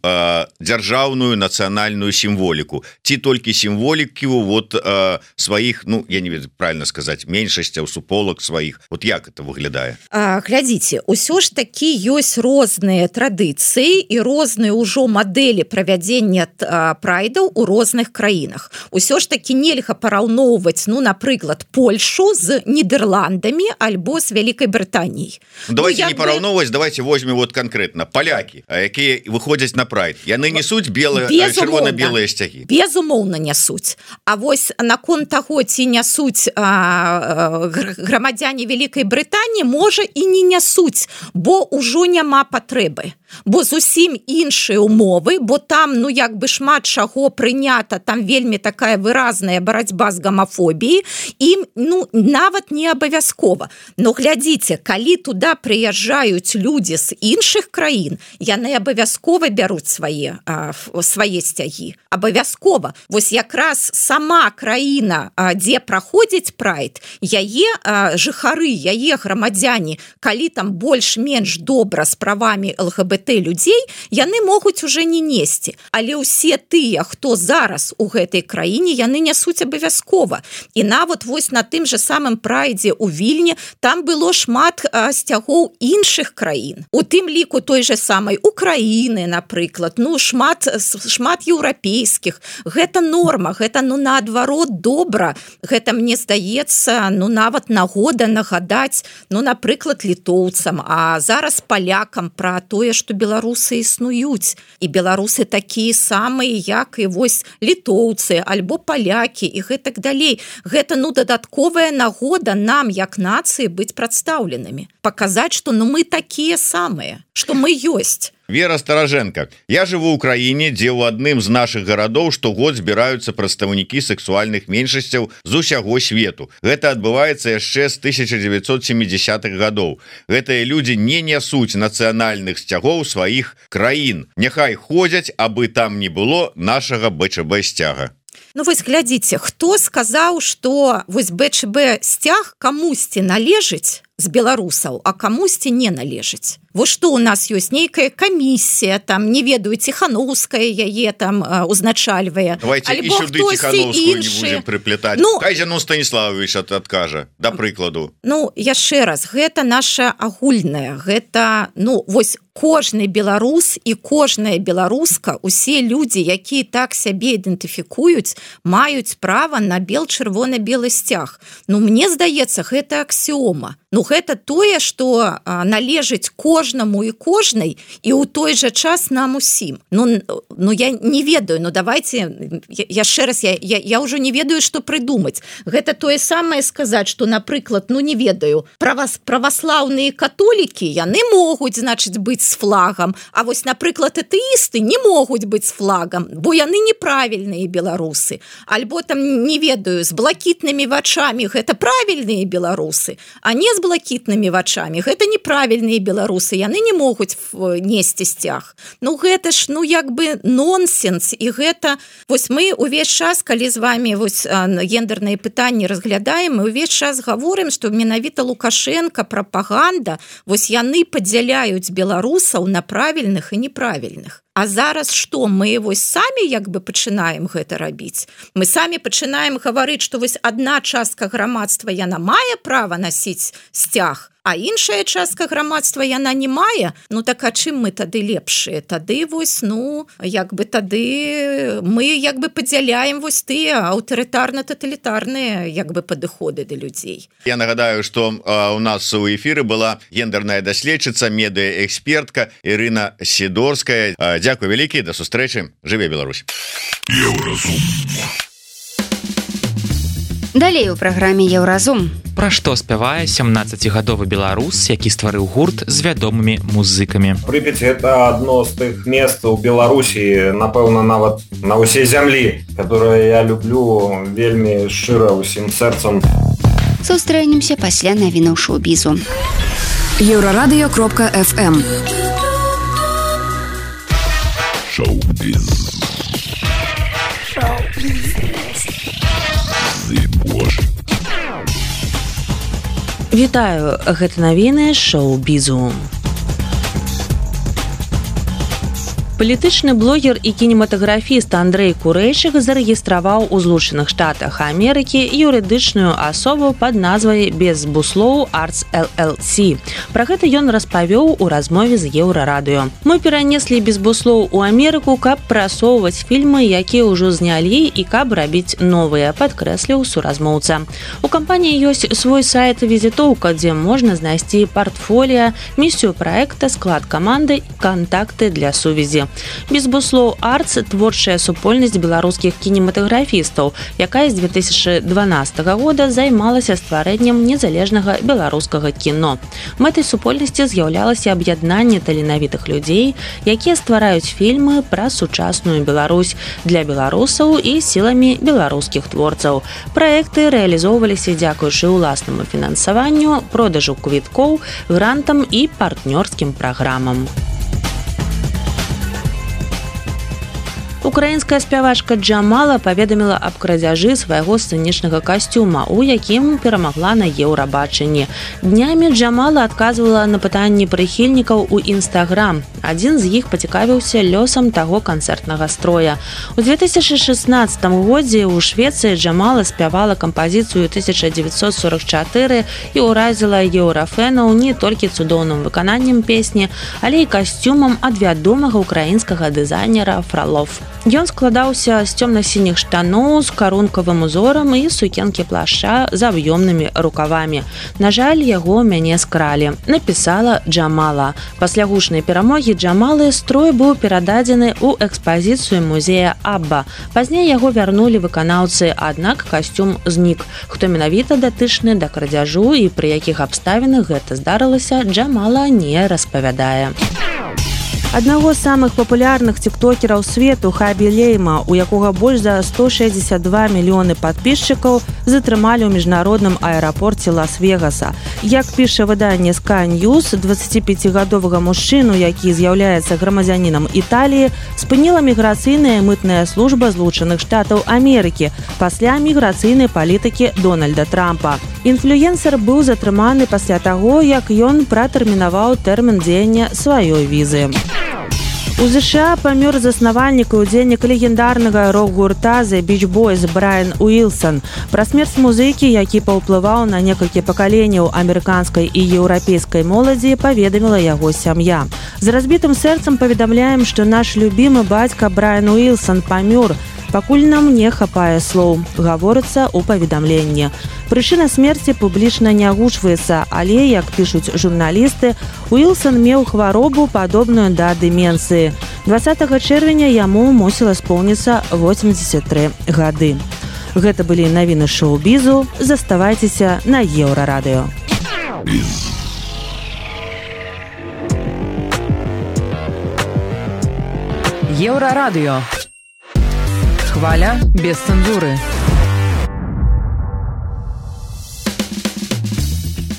дзяржаўную нацыянальную сімволіку, ці толькі сімволіку вот сваіх, ну, я не ведаю, правильно сказаць, меншасцяў, суполак сваіх. Вот як это выглядае? Глядзіце, усё ж такі ёсць розныя традыцыі і розныя ўжо мадэлі правядзення прайдаў у розных краінах. Усё ж такі нельга параўноўваць, ну, напрыклад, Польшу з Нідерландамі альбо з Вялікай Брытаніяй. Давайте не параўноўваць, давайте возьмем вот конкретно палякі, якія выходзяць на прайд. Яны несуць чырвона-белыя сцягі. Безумоўна нясуць. А вось наконт таго, ці нясуць грамадзяне Вялікай Брытаніі, можа і не нясуць, бо ўжо няма патрэбы. Бо зусім іншыя умовы, бо там, ну, як бы шмат чаго прынята, там вельмі такая выразная барацьба з гамафобіяй, ім, ну, нават не абавязкова. Но глядзіце, калі туда прыязджаюць людзі з іншых краін, яны абавязкова бяруць свае сцягі. Абавязкова. Вось якраз сама краіна, дзе праходзіць прайд, яе жыхары, яе грамадзяне, калі там больш-менш добра з правамі ЛГБТ людзей, яны могуць уже не несці. Але ўсе тыя, хто зараз у гэтай краіне, яны нясуць абавязкова. І нават вось на тым же самым прайдзе ў Вільні там было шмат сцягоў іншых краін. У тым ліку той же самай Украіны, напрыклад, ну, шмат еўрапейскіх. Гэта норма, гэта, ну, наадварот добра. Гэта, мне здаецца, ну, нават нагода нагадаць, ну, напрыклад, літоўцам, а зараз палякам пра тое, што беларусы існуюць. І беларусы такія самыя, як і вось літоўцы, альбо палякі і гэтак далей. Гэта, ну, дадатковая нагода нам, як нацыі, быць прадстаўленымі. Паказаць, што, ну, мы такія самыя, што мы ёсць. Вера Стараженко. Я жыву ў краіне, дзе ў адным з нашых гарадоў штогод збіраюцца прадстаўнікі сексуальных меншасцяў з усяго свету. Гэта адбываецца яшчэ з 1970-х гадоў. Гэтыя людзі не нясуць нацыянальных сцягоў сваіх краін. Няхай ходзяць, абы там не было нашага БЧБ сцяга. Ну вось глядзіце, хто сказаў, што вось БЧБ сцяг камусьці належыць з беларусаў, а камусьці не належыць. Вось што ў нас ёсць нейкая камісія, там не ведаю, Ціхановская яе там узначальвае. Давайте і сюды Ціхановскую не будзем прыплетаць. Ну, хай Зянон Станіславович адкажа, да прыкладу. Ну, яшчэ раз, гэта наша агульная, гэта, ну, вось кожны беларус і кожная беларуска, усе людзі, якія так сябе ідэнтыфікуюць, маюць права на бел-чырвона-белы сцяг. Ну, мне здаецца, гэта аксіома. Ну, гэта тое, што належыць кожнаму і кожнай, і ў той жа час нам усім. Ну я не ведаю, ну давайте, яшчэ раз, я ўжо не ведаю, што прыдумаць. Гэта тое самае сказаць, што, напрыклад, ну не ведаю, праваслаўныя католікі, яны могуць, значыць, быць з флагам, а вось, напрыклад, атэісты не могуць быць з флагам, бо яны неправільныя беларусы. Альбо там, не ведаю, з блакітнымі вачамі гэта правільныя беларусы, а не з блакітнымі вачамі гэта неправільныя беларусы, яны не могуць несці сцяг. Ну гэта ж, ну як бы нонсенс, і гэта вось мы увесь час, калі з вами вось гендерныя пытанні разглядаем, мы увесь час гаворым, што менавіта Лукашенко, прапаганда, вось яны падзяляюць беларусаў на правільных і неправільных. А зараз што, мы вось самі як бы пачынаем гэта рабіць? Мы самі пачынаем гаварыць, што вось адна частка грамадства яна мае права насіць сцяг, а іншая частка грамадства яна не мае. Ну так а чым мы тады лепшыя? Тады вось, ну, як бы тады мы як бы падзяляем вось тыя аўтарытарна-таталітарныя як бы падыходы да людзей. Я нагадаю, што у нас у эфіры была гендерная даследчыца, медыаэкспертка Ірына Сідорская. Дзякуй вялікі, да сустрэчы, жыве Беларусь. Далей у праграме Еўразум. Пра што спявае 17гадовы беларус, які стварыў гурт з вядомымі музыкамі. Припяць — это одно з тых мест у Беларусі, напэўна, нават на ўсей зямлі, которое я люблю вельмі шчыра ўсім сэрцам. Сустрэнемся пасля навінаў шоу-бізу. Еўрарадыё.фм Шоу-біз. Вітаю, гэта навіны шоу-бізу. Палітычны блогер і кінематаграфіст Андрэй Курэйчык зарэгістраваў у Злучаных Штатах Амерыкі юрыдычную асобу пад назвай «Безбуслоў Arts LLC». Пра гэта ён распавёў у размове з Еўрарадыё. Мы перанеслі «Безбуслоў» у Амерыку, каб прасоўваць фільмы, якія ўжо знялі, і каб рабіць новыя, падкрэсліў суразмоўца. У кампаніі ёсць свой сайт-візітоўка, дзе можна знайсці партфоліа, місію праекта, склад каманды і кантакты для сувязі. «Безбуслоў Arts» – творчая супольнасць беларускіх кінематаграфістаў, якая з 2012 года займалася стварэннем незалежнага беларускага кіно. Мэтай супольнасці з'яўлялася аб'яднанне таленавітых людзей, якія ствараюць фільмы пра сучасную Беларусь для беларусаў і сіламі беларускіх творцаў. Праекты рэалізоўваліся дзякуючы ўласнаму фінансаванню, продажу квіткоў, грантам і партнёрскім праграмам. Украінская спявачка Джамала паведаміла аб крадзяжы свайго сцэнічнага касцюма, у якім перамагла на Еўрабачанні. Днямі Джамала адказвала на пытанні прыхільнікаў у Інстаграм. Адзін з іх пацікавіўся лёсам таго канцэртнага строя. У 2016 годзе ў Швецыі Джамала спявала кампазіцыю 1944 і ўразіла еўрафэнаў не толькі цудоўным выкананнем песні, але і касцюмам ад вядомага украінскага дызайнера Фролов. Ён складаўся з цёмна-сініх штаноў з карункавым узорам і сукенкі плашча з аб'ёмнымі рукавамі. На жаль, яго мяне скралі, напісала Джамала. Пасля гучнай перамогі Джамалы строй быў перададзены ў экспазіцыю музея Абба. Пазней яго вярнулі выканаўцы, аднак касцюм знік. Хто менавіта датычны да крадзяжу і пры якіх абставінах гэта здарылася, Джамала не распавядае. Аднаго з самых папулярных тиктокераў свету Хабі Лейма, у якога больш за 162 мільёны падписчикаў, затрымалі ў міжнародным аэрапорце Лас-Вегаса. Як піша выданне Sky News, 25-гадовага мужчыну, які з'яўляецца грамадзянінам Італіі, спыніла міграцыйная мытная служба Злучаных Штатаў Амерыкі пасля міграцыйнай палітыкі Дональда Трампа. Інфлюенсер быў затрыманы пасля таго, як ён пратэрмінаваў тэрмін дзеяння сваёй візы. У США памёр заснавальнік і удзельнік легендарнага рок-гурта The Beach Boys Брайан Уілсон. Пра смерць музыкі, які паўплываў на некалькі пакаленняў амерыканскай і еўрапейскай моладзі, паведаміла яго сям'я. З разбітым сэрцам паведамляем, што наш любімы бацька Брайан Уілсон памёр. Пакуль нам не хапае слоў, гаворыцца ў паведамленні. Прычына смерці публічна не агучваецца, але, як пішуць журналісты, Уілсон меў хваробу, падобную да дэмэнцыі. 20 чэрвеня яму мусіла споўніцца 83 гады. Гэта былі навіны шоу-бізу. Заставайцеся на Еўрарадыё. Еўрарадыё. Хваля без цэнзуры.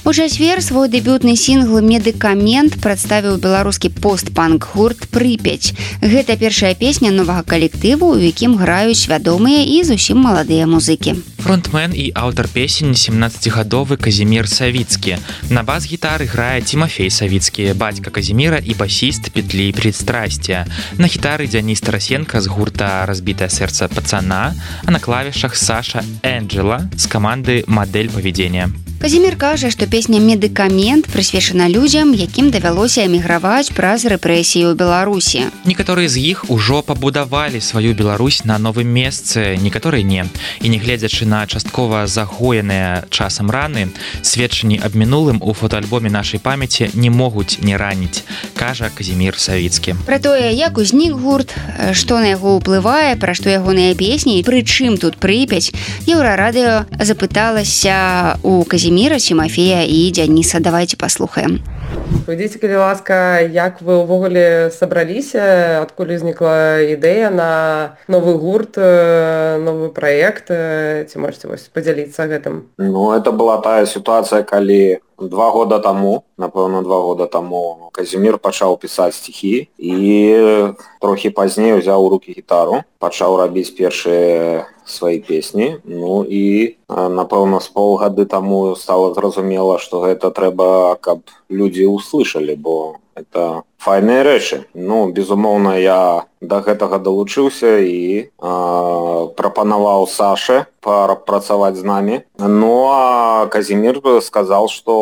У чацвер свой дэбютны сінгл «Медыкамент» прадставіў беларускі пост-панк-гурт «Прыпяць». Гэта першая песня новага калектыву, у якім граюць вядомыя і зусім маладыя музыкі. Фронтмен і аўтар песень 17-гадовы Казімір Савіцкі. На бас-гітары грае Тимофей Савіцкі, бацька Казіміра і басіст Петлі Пристрастия. На гітары Дзяніс Тарасенко з гурта «Разбітае сэрца пацана», а на клавішах Саша Энджела з каманды «Мадэль павядзення». Казімір кажа, што песня «Медыкамент» прысвечана людзям, якім давялося эміграваць праз рэпрэсіі ў Беларусі. Некаторыя з іх ужо пабудавалі сваю Беларусь на новым месцы, некаторыя не. І нягледзячы на часткова загоеныя часам раны, сведчанні аб мінулым у фотоальбоме нашай памяці не могуць не раніць, кажа Казімір Савіцкі. Пра тое, як узнік гурт, што на яго ўплывае, пра што ягоныя песні, пры чым тут Прыпяць, Еўрарадыё запыталася у Казіміра, Тимофея і Дзяніса. Давайте паслухаем. Павядзіце, калі ласка, як вы ўвогуле сабраліся, адкуль узнікла ідэя на новы гурт, новы праект, ці можете падзяліцца гэтым? Ну, это была тая сітуацыя, калі 2 года таму, напэўна, 2 года таму Казімір пачаў пісаць стихі і трохі пазней узяў у рукі гітару, пачаў рабіць першыя свае песні. Ну і, напэўна, з паўгады таму стала зразумела, што гэта трэба, каб людзі услышалі, бо это файныя рэчы. Ну, безумоўна, я да гэтага далучыўся і прапанаваў Саше працаваць з намі. Ну, а Казімір сказаў, што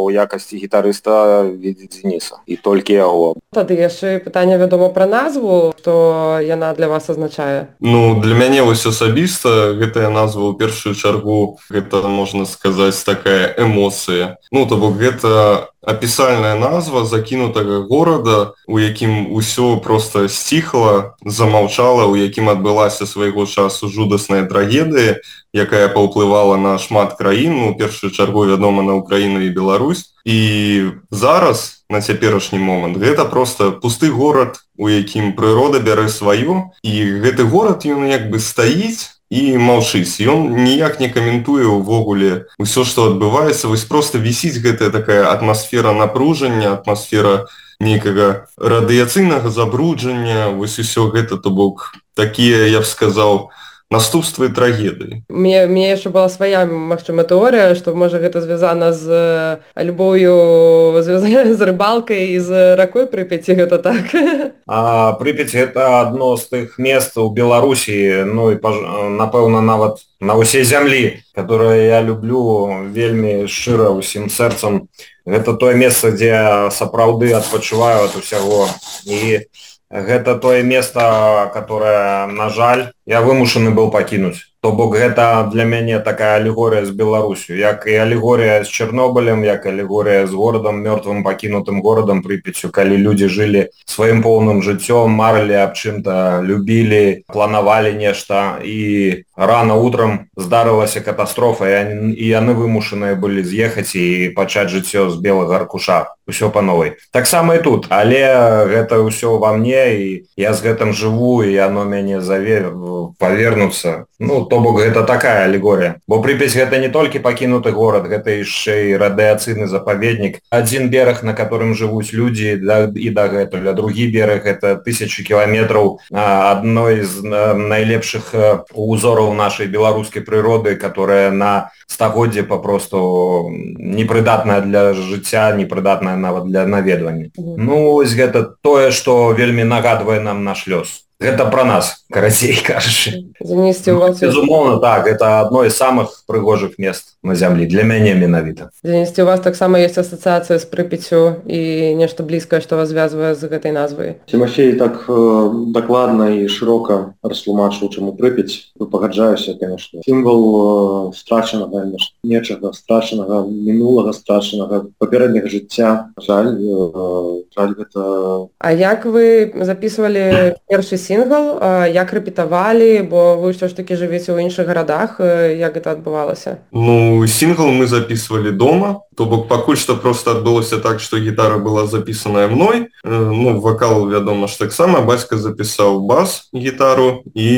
ў якасці гітарыста відзіць Дзяніса. І толькі яго. Тады яшчэ пытанне, вядома, пра назву, што яна для вас азначае? Ну, для мяне вось асабіста гэтая назва ў першую чаргу, гэта, можна сказаць, такая эмоцыя. Ну, то бок гэта апісальная назва закінутага горада, у якім усё проста сціхла, замаўчала, у якім адбылася свайго часу жудасная трагедыя, якая паўплывала на шмат краін, ну, у першую чаргу, вядома, на Украіну і Беларусь. І зараз, на цяперашні момант, гэта проста пусты горад, у якім прырода бярэ сваё, і гэты горад, ён як бы стаіць і маўчыць. Ён ніяк не каментуе ўвогуле ўсё, што адбываецца. Вось проста вісіць гэтая такая атмасфера напружання, атмасфера нейкага радыяцыйнага забруджання, вось усё гэта, то бок, такія, я б сказаў, наступствы трагедыі. Мне яшчэ была свая, магчыма, тэорыя, што, можа, гэта звязана з любоўю, звязана з рыбалкай і з ракой Прыпяці, гэта так? Прыпяць — гэта адно з тых мест у Беларусі, ну і, напэўна, нават на ўсей зямлі, которое я люблю вельмі шчыра, усім сэрцам. Гэта тое месца, дзе сапраўды адпачываю ад усяго. І гэта тое месца, которое, на жаль, я вымушаны быў пакінуць. То бок гэта для мяне такая алегорыя з Беларусю, як і алегорыя з Чарнобылем, як алегорыя з горадам, мёртвым пакінутым горадам Прыпяццю, калі людзі жылі сваім поўным жыццём, марылі аб чым-то, любілі, планавалі нешта, і рано утром здарылася катастрофа, і яны вымушаныя былі з'ехаць і пачаць жыццё з белага аркуша. Усё па новай. Таксама і тут, але гэта ўсё ва мне, і я з гэтым жыву, і яно мяне заве павернуцца. Ну, то бок гэта такая алегорія. Бо Прыпяць гэта не толькі пакінуты горад, гэта яшчэ і радыацыйны запаведнік. Адзін бераг, на которым жывуць людзі і дагэтуль, а другі бераг гэта 1000 кіламетраў адной з найлепшых узораў нашай беларускай прыроды, которая на стагоддзе папросту непрыдатная для жыцця, непрыдатная нават для наведвання. Ну, вось гэта тое, што вельмі нагадвае нам наш лёс. Гэта пра нас, карацей кажучы. Безумоўна, так, гэта адно з самых прыгожых мест на зямлі, для мяне менавіта. Дзенісці, у вас таксама ёсць асацыяцыя з Прыпяццю і нешта блізкае, што вас звязвае з гэтай назвай? Тимофей так дакладна і шырока растлумачыў, чаму Прыпяць. Пагаджаюся, конечно. Сімвал страчанага нечага, страчанага мінулага, страчанага папярэдняга жыцця. Жаль, гэта... А як вы записывалі першы сінгл, як рэпетавалі, бо вы ўсё ж такі жывеце ў іншых гарадах, як гэта адбывалася? Ну, сингл мы записывали дома, то бок пакуль што просто адбылося так, што гітара была запісаная мной, ну, вакал, вядома ж таксама, бацька запісаў бас, гітару, і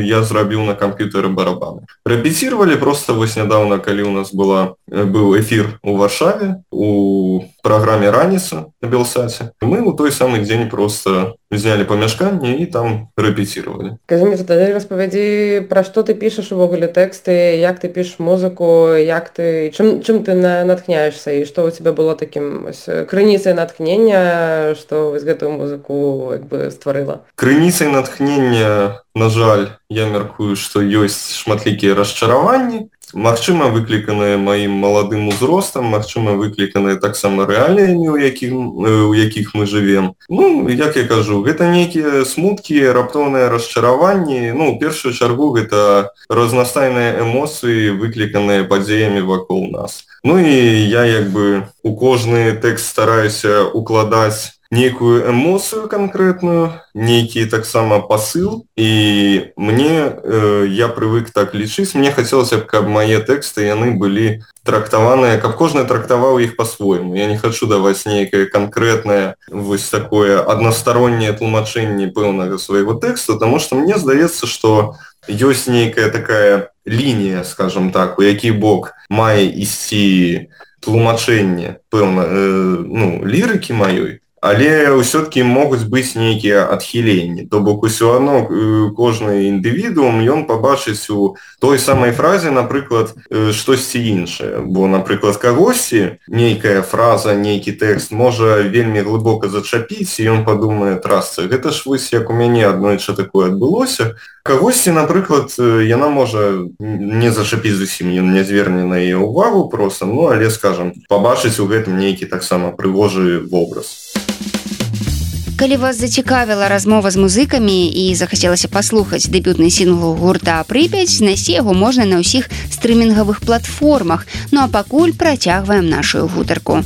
я зрабіў на камп'ютары барабаны. Рэпеціравалі просто вось нядаўна, калі у нас быў эфір у Варшаве, у праграме «Раніца» на Белсаце. Мы ў той самы дзень просто взяли памяшканне і там рэпеціравалі. Кажы мне, тады распавядзі, пра што ты пішаш увогуле тэксты, як ты пішаш музыку, чым ты натхняешься, і што у тебя было такім крыніцай натхнення, што вось гэтую музыку як бы стварыла? Крыніцай натхнення, на жаль, я мяркую, што ёсць шматлікія расчараванні, магчыма, выкліканыя маім маладым узростам, магчыма, выкліканыя таксама рэаліямі, у якіх мы жывем. Ну, як я кажу, гэта нейкія смуткі, раптоўныя расчараванні. Ну, у першую чаргу, гэта разнастайныя эмоцыі, выкліканыя падзеямі вакол нас. Ну, і я, як бы, у кожны тэкст стараюся укладаць нейкую эмоцыю канкрэтную, нейкі таксама пасыл, і я прывык так лічыць, мне хацелася б, каб мае тэксты, яны былі трактаваныя, каб кожны трактаваў іх па-свойму. Я не хачу даваць нейкае канкрэтнае, вось такое аднастароннее тлумачэнне пэўнага свайго тэксту, таму што мне здаецца, што ёсць нейкая такая лінія, скажам так, у які бок мае ісці тлумачэнне пэўна, лірыкі маёй, але ўсё-таки могуць быць нейкія адхіленні. То бок усё адно кожны індывідуум, ён пабачыць у той самай фразе, напрыклад, штосьці іншае. Бо, напрыклад, кагосьці нейкая фраза, нейкі тэкст можа вельмі глыбока зачапіць, і ён падумае, трасца, гэта ж вось як у мяне аднойчы такое адбылося. Кагосьці, напрыклад, яна можа не зачапіць зусім, ён не зверне на яе ўвагу проста, ну, але, скажам, пабачыць у гэтым нейкі таксама прыгожы вобраз. Калі вас зацікавіла размова з музыкамі і захацелася паслухаць дэбютны сінгл гурта «Прыпяць», знайсці яго можна на ўсіх стрымінгавых платформах. Ну а пакуль працягваем нашу гутарку.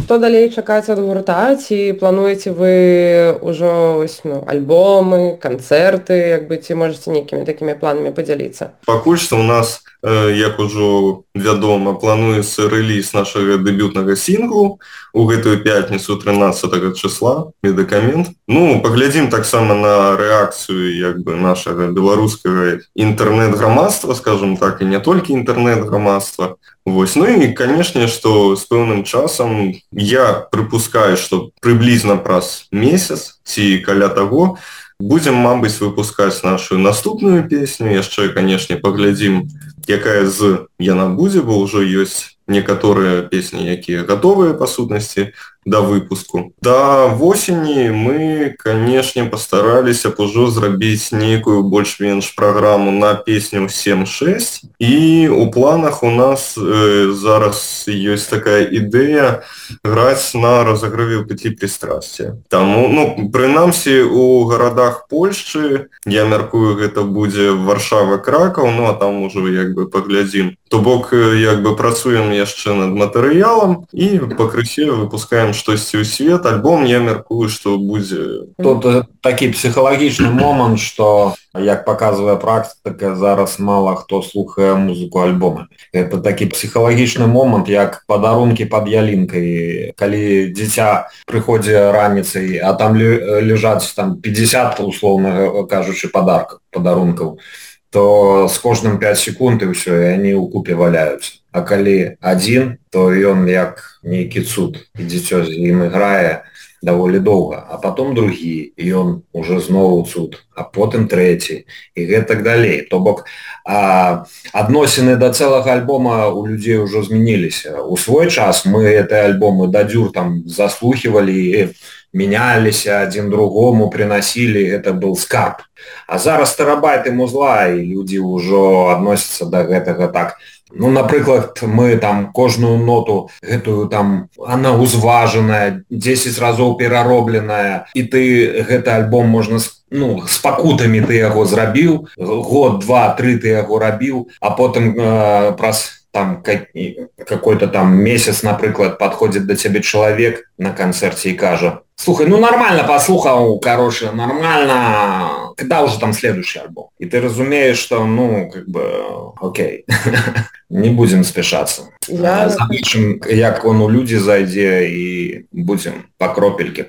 Што далей чакаць ад гурта? Ці плануеце вы ўжо альбомы, канцэрты, як бы, ці можаце нейкімі такімі планамі падзяліцца? Пакуль што ў нас, як ужо вядома, плануецца рэліз нашага дэбютнага сінглу у гэтую пятніцу 13 числа, медыкамент. Ну, паглядзім таксама на рэакцыю як бы нашага беларускага інтэрнэт-грамадства, скажем так, і не толькі інтэрнэт-грамадства. Вось. Ну і, канешне, што з пэўным часам я прыпускаю, што прыблізна праз месяц ці каля таго будзем, мабыць, выпускаць нашу наступную песню. Яшчэ, канешне, паглядзім, якая яна будзе, бо ўжо ёсць некаторыя песні, якія гатовыя па сутнасці. да выпуску. Да восені мы, канешне, пастараліся б ужо зрабіць нейкую больш-менш праграму на песню 7-6, і у планах у нас зараз ёсць такая ідэя граць на разогрыве ў петлі пристрасця. Таму, ну, прынамсі, у гарадах Польшчы, я мяркую, гэта будзе Варшава, Кракаў, ну, а там ужо як бы паглядзім. То бок, як бы працуем яшчэ над матэрыялам і пакрысе выпускаем штосьці ў свет. Альбом, я мяркую, што будзе... Тут такі псіхалагічны момант, што, як паказвае практыка, зараз мала хто слухае музыку альбома. Это такі псіхалагічны момант, як падарункі пад ялінкай. Калі дзіця прыходзе раніцай, а там ляжаць там 50, условна кажучы, падарункаў, то з кожным 5 секунд і ўсё, і они ў купе валяюцца. А калі адзін, то ён як нейкі цуд, і дзіцё з ім іграе даволі доўга, а потом другі, і ён уже зноў цуд, а потым трэці, і гэтак далей. То бок адносіны да цэлага альбома у людзей ужо змяніліся. У свой час мы гэтыя альбомы да дзюр там заслухивалі і меняліся, адзін другому приносілі, гэта был скарб. А зараз тэрабайты музла, і людзі ўжо адносяцца да гэтага так. Ну, напрыклад, мы там кожную ноту гэтую там, она узважаная, 10 разоў пераробленая, і ты гэты альбом можна, ну, з пакутамі ты яго зрабіў, год, 2-3 ты яго рабіў, а потым праз там какой-то там месяц, напрыклад, подходит до тебе человек на концерте и кажа: слухай, ну нормально послухал, короче, нормально, когда уже там следующий альбом? И ты разумеешь, что, ну, как бы, окей, не будем спешаться. Запишем, як он у людзі зайдзе, і будем по кропельке.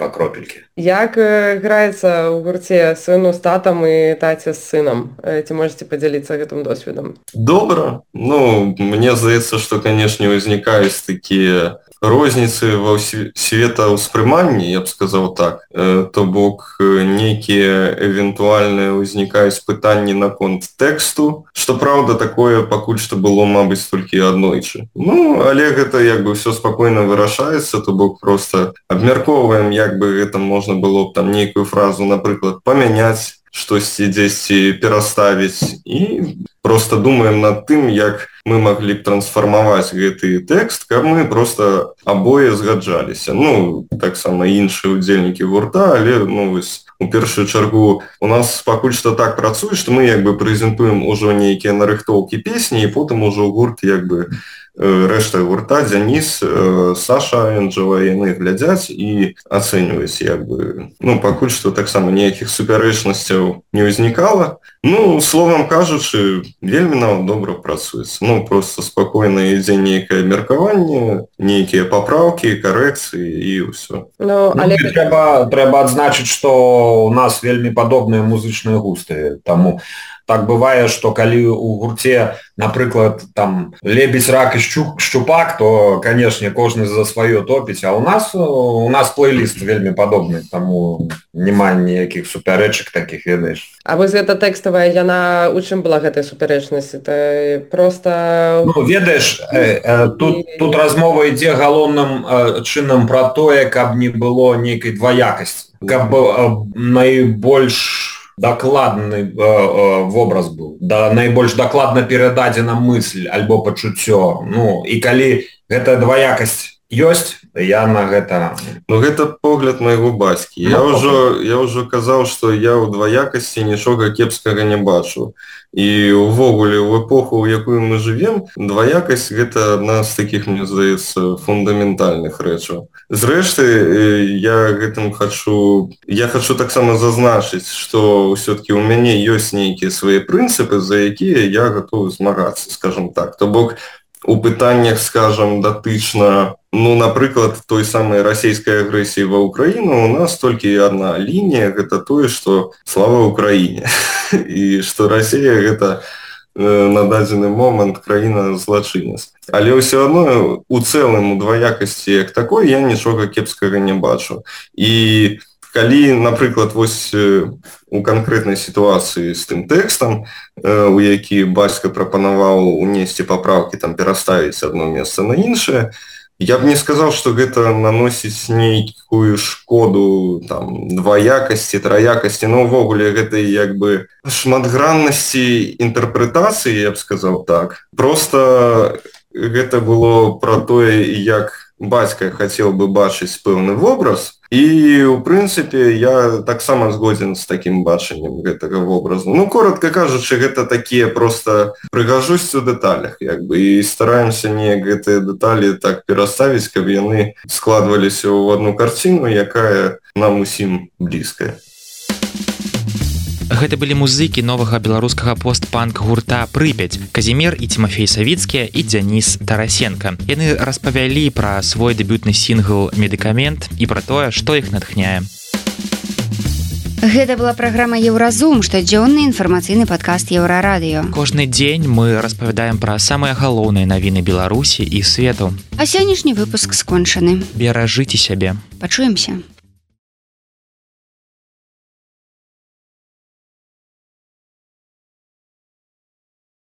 Як граецца ў гурце сыну з татам і таце з сынам? Ці можете подзяліцца гэтым досведам? Добра. Ну, мне здаецца, што, канешне, узнікаюць такія розніцы ва светаўспрыманні, я б сказаў так. То бок нейкія эвентуальныя ўзнікаюць пытанні наконт тэксту, што праўда такое пакуль што было, мабыць, толькі аднойчы. Ну, але гэта як бы ўсё спакойна вырашаецца, то бок проста абмяркоўваем, як бы гэта можна было б там нейкую фразу, напрыклад, памяняць, штосьці дзесьці пераставіць, і просто думаем над тым, як мы маглі б трансфармаваць гэты тэкст, каб мы просто абое згаджаліся. Ну, таксама іншыя удзельнікі гурта, але, ну, вось, у першую чаргу у нас пакуль што так працуе, што мы як бы прэзентуем ужо нейкія нарыхтоўкі песні, і потым ужо гурт як бы рэшта гурта, Дзяніс, Саша, Энджела, яны глядзяць і ацэньваюць як бы. Ну, пакуль што таксама ніякіх супярэчнасцяў не ўзнікала. Ну, словам кажучы, вельмі нам добра працуецца. Ну, просто спакойна ідзе нейкае меркаванне, нейкія папраўкі, карэкцыі і ўсё. Ну, але трэба адзначыць, што у нас вельмі падобныя музычныя густы. Таму так бывае, што калі у гурце, напрыклад, там лебедь, рак і шчупак, то, канешне, кожны за сваё топіць, а у нас плейліст вельмі падобны, таму няма ніякіх супярэчак такіх, ведаеш. А вось гэта тэкставая, яна у чым была гэтая супярэчнасць? Это просто... Ну, ведаеш, тут размова ідзе галоўным чынам пра тое, каб не было нейкай дваякасці, каб найбольш дакладны вобраз быў, да найбольш дакладна перададзена мысль альбо пачуццё. Ну, і калі гэта дваякасць ёсць, я на гэта... Ну, гэта погляд майго бацькі. Я ўжо казаў, што я ў дваякасці нічога кепскага не бачу. І увогуле, у эпоху, у якую мы жывем, дваякасць — гэта адна з такіх, мне здаецца, фундаментальных рэчаў. Зрэшты, я хочу таксама зазначыць, што ўсё-такі ў мяне ёсць нейкія свае прынцыпы, за якія я гатовы змагацца, скажам так. То бок, у пытаннях, скажам, датычна, ну, напрыклад, той самай расійскай агрэсіі ва Ўкраіну, у нас толькі адна лінія, гэта тое, што слава Ўкраіне. І што Расія гэта на дадзены момант краіна злачынец. Але ўсё адно у цэлым у дваякасці як такой я нічога кепскага не бачу. І калі, напрыклад, вось у канкрэтнай сітуацыі з тым тэкстам, у які бацька прапанаваў унесці папраўкі, там пераставіць адно месца на іншае, Я б не сказал, что гэта наносіць нейкую шкоду там дваякасці, траякасці, но ўвогуле гэтай як бы шматграннасці інтэрпрэтацыі, я б сказал так. Просто гэта было про тое, як бацька хацеў бы бачыць пэўны вобраз, і у прынцыпе я таксама згодзін з такім бачаннем гэтага вобразу. Ну, коротко кажучы, гэта такія просто прыгажосць у дэталях як бы, і стараемся неяк гэтыя дэталі так пераставіць, каб яны складваліся ў одну карціну, якая нам усім блізкая. Гэта былі музыкі новага беларускага пост-панк гурта «Прыпяць» Казімір і Тимофей Савіцкія і Дзяніс Тарасенко. Яны распавялі пра свой дэбютны сінгл «Медыкамент» і пра тое, што іх натхняе. Гэта была праграма «Еўразум», штодзённы інфармацыйны падкаст «Еўрарадыё». Кожны дзень мы распавядаем пра самыя галоўныя навіны Беларусі і свету. А сённяшні выпуск скончаны. Беражыце сябе. Пачуемся.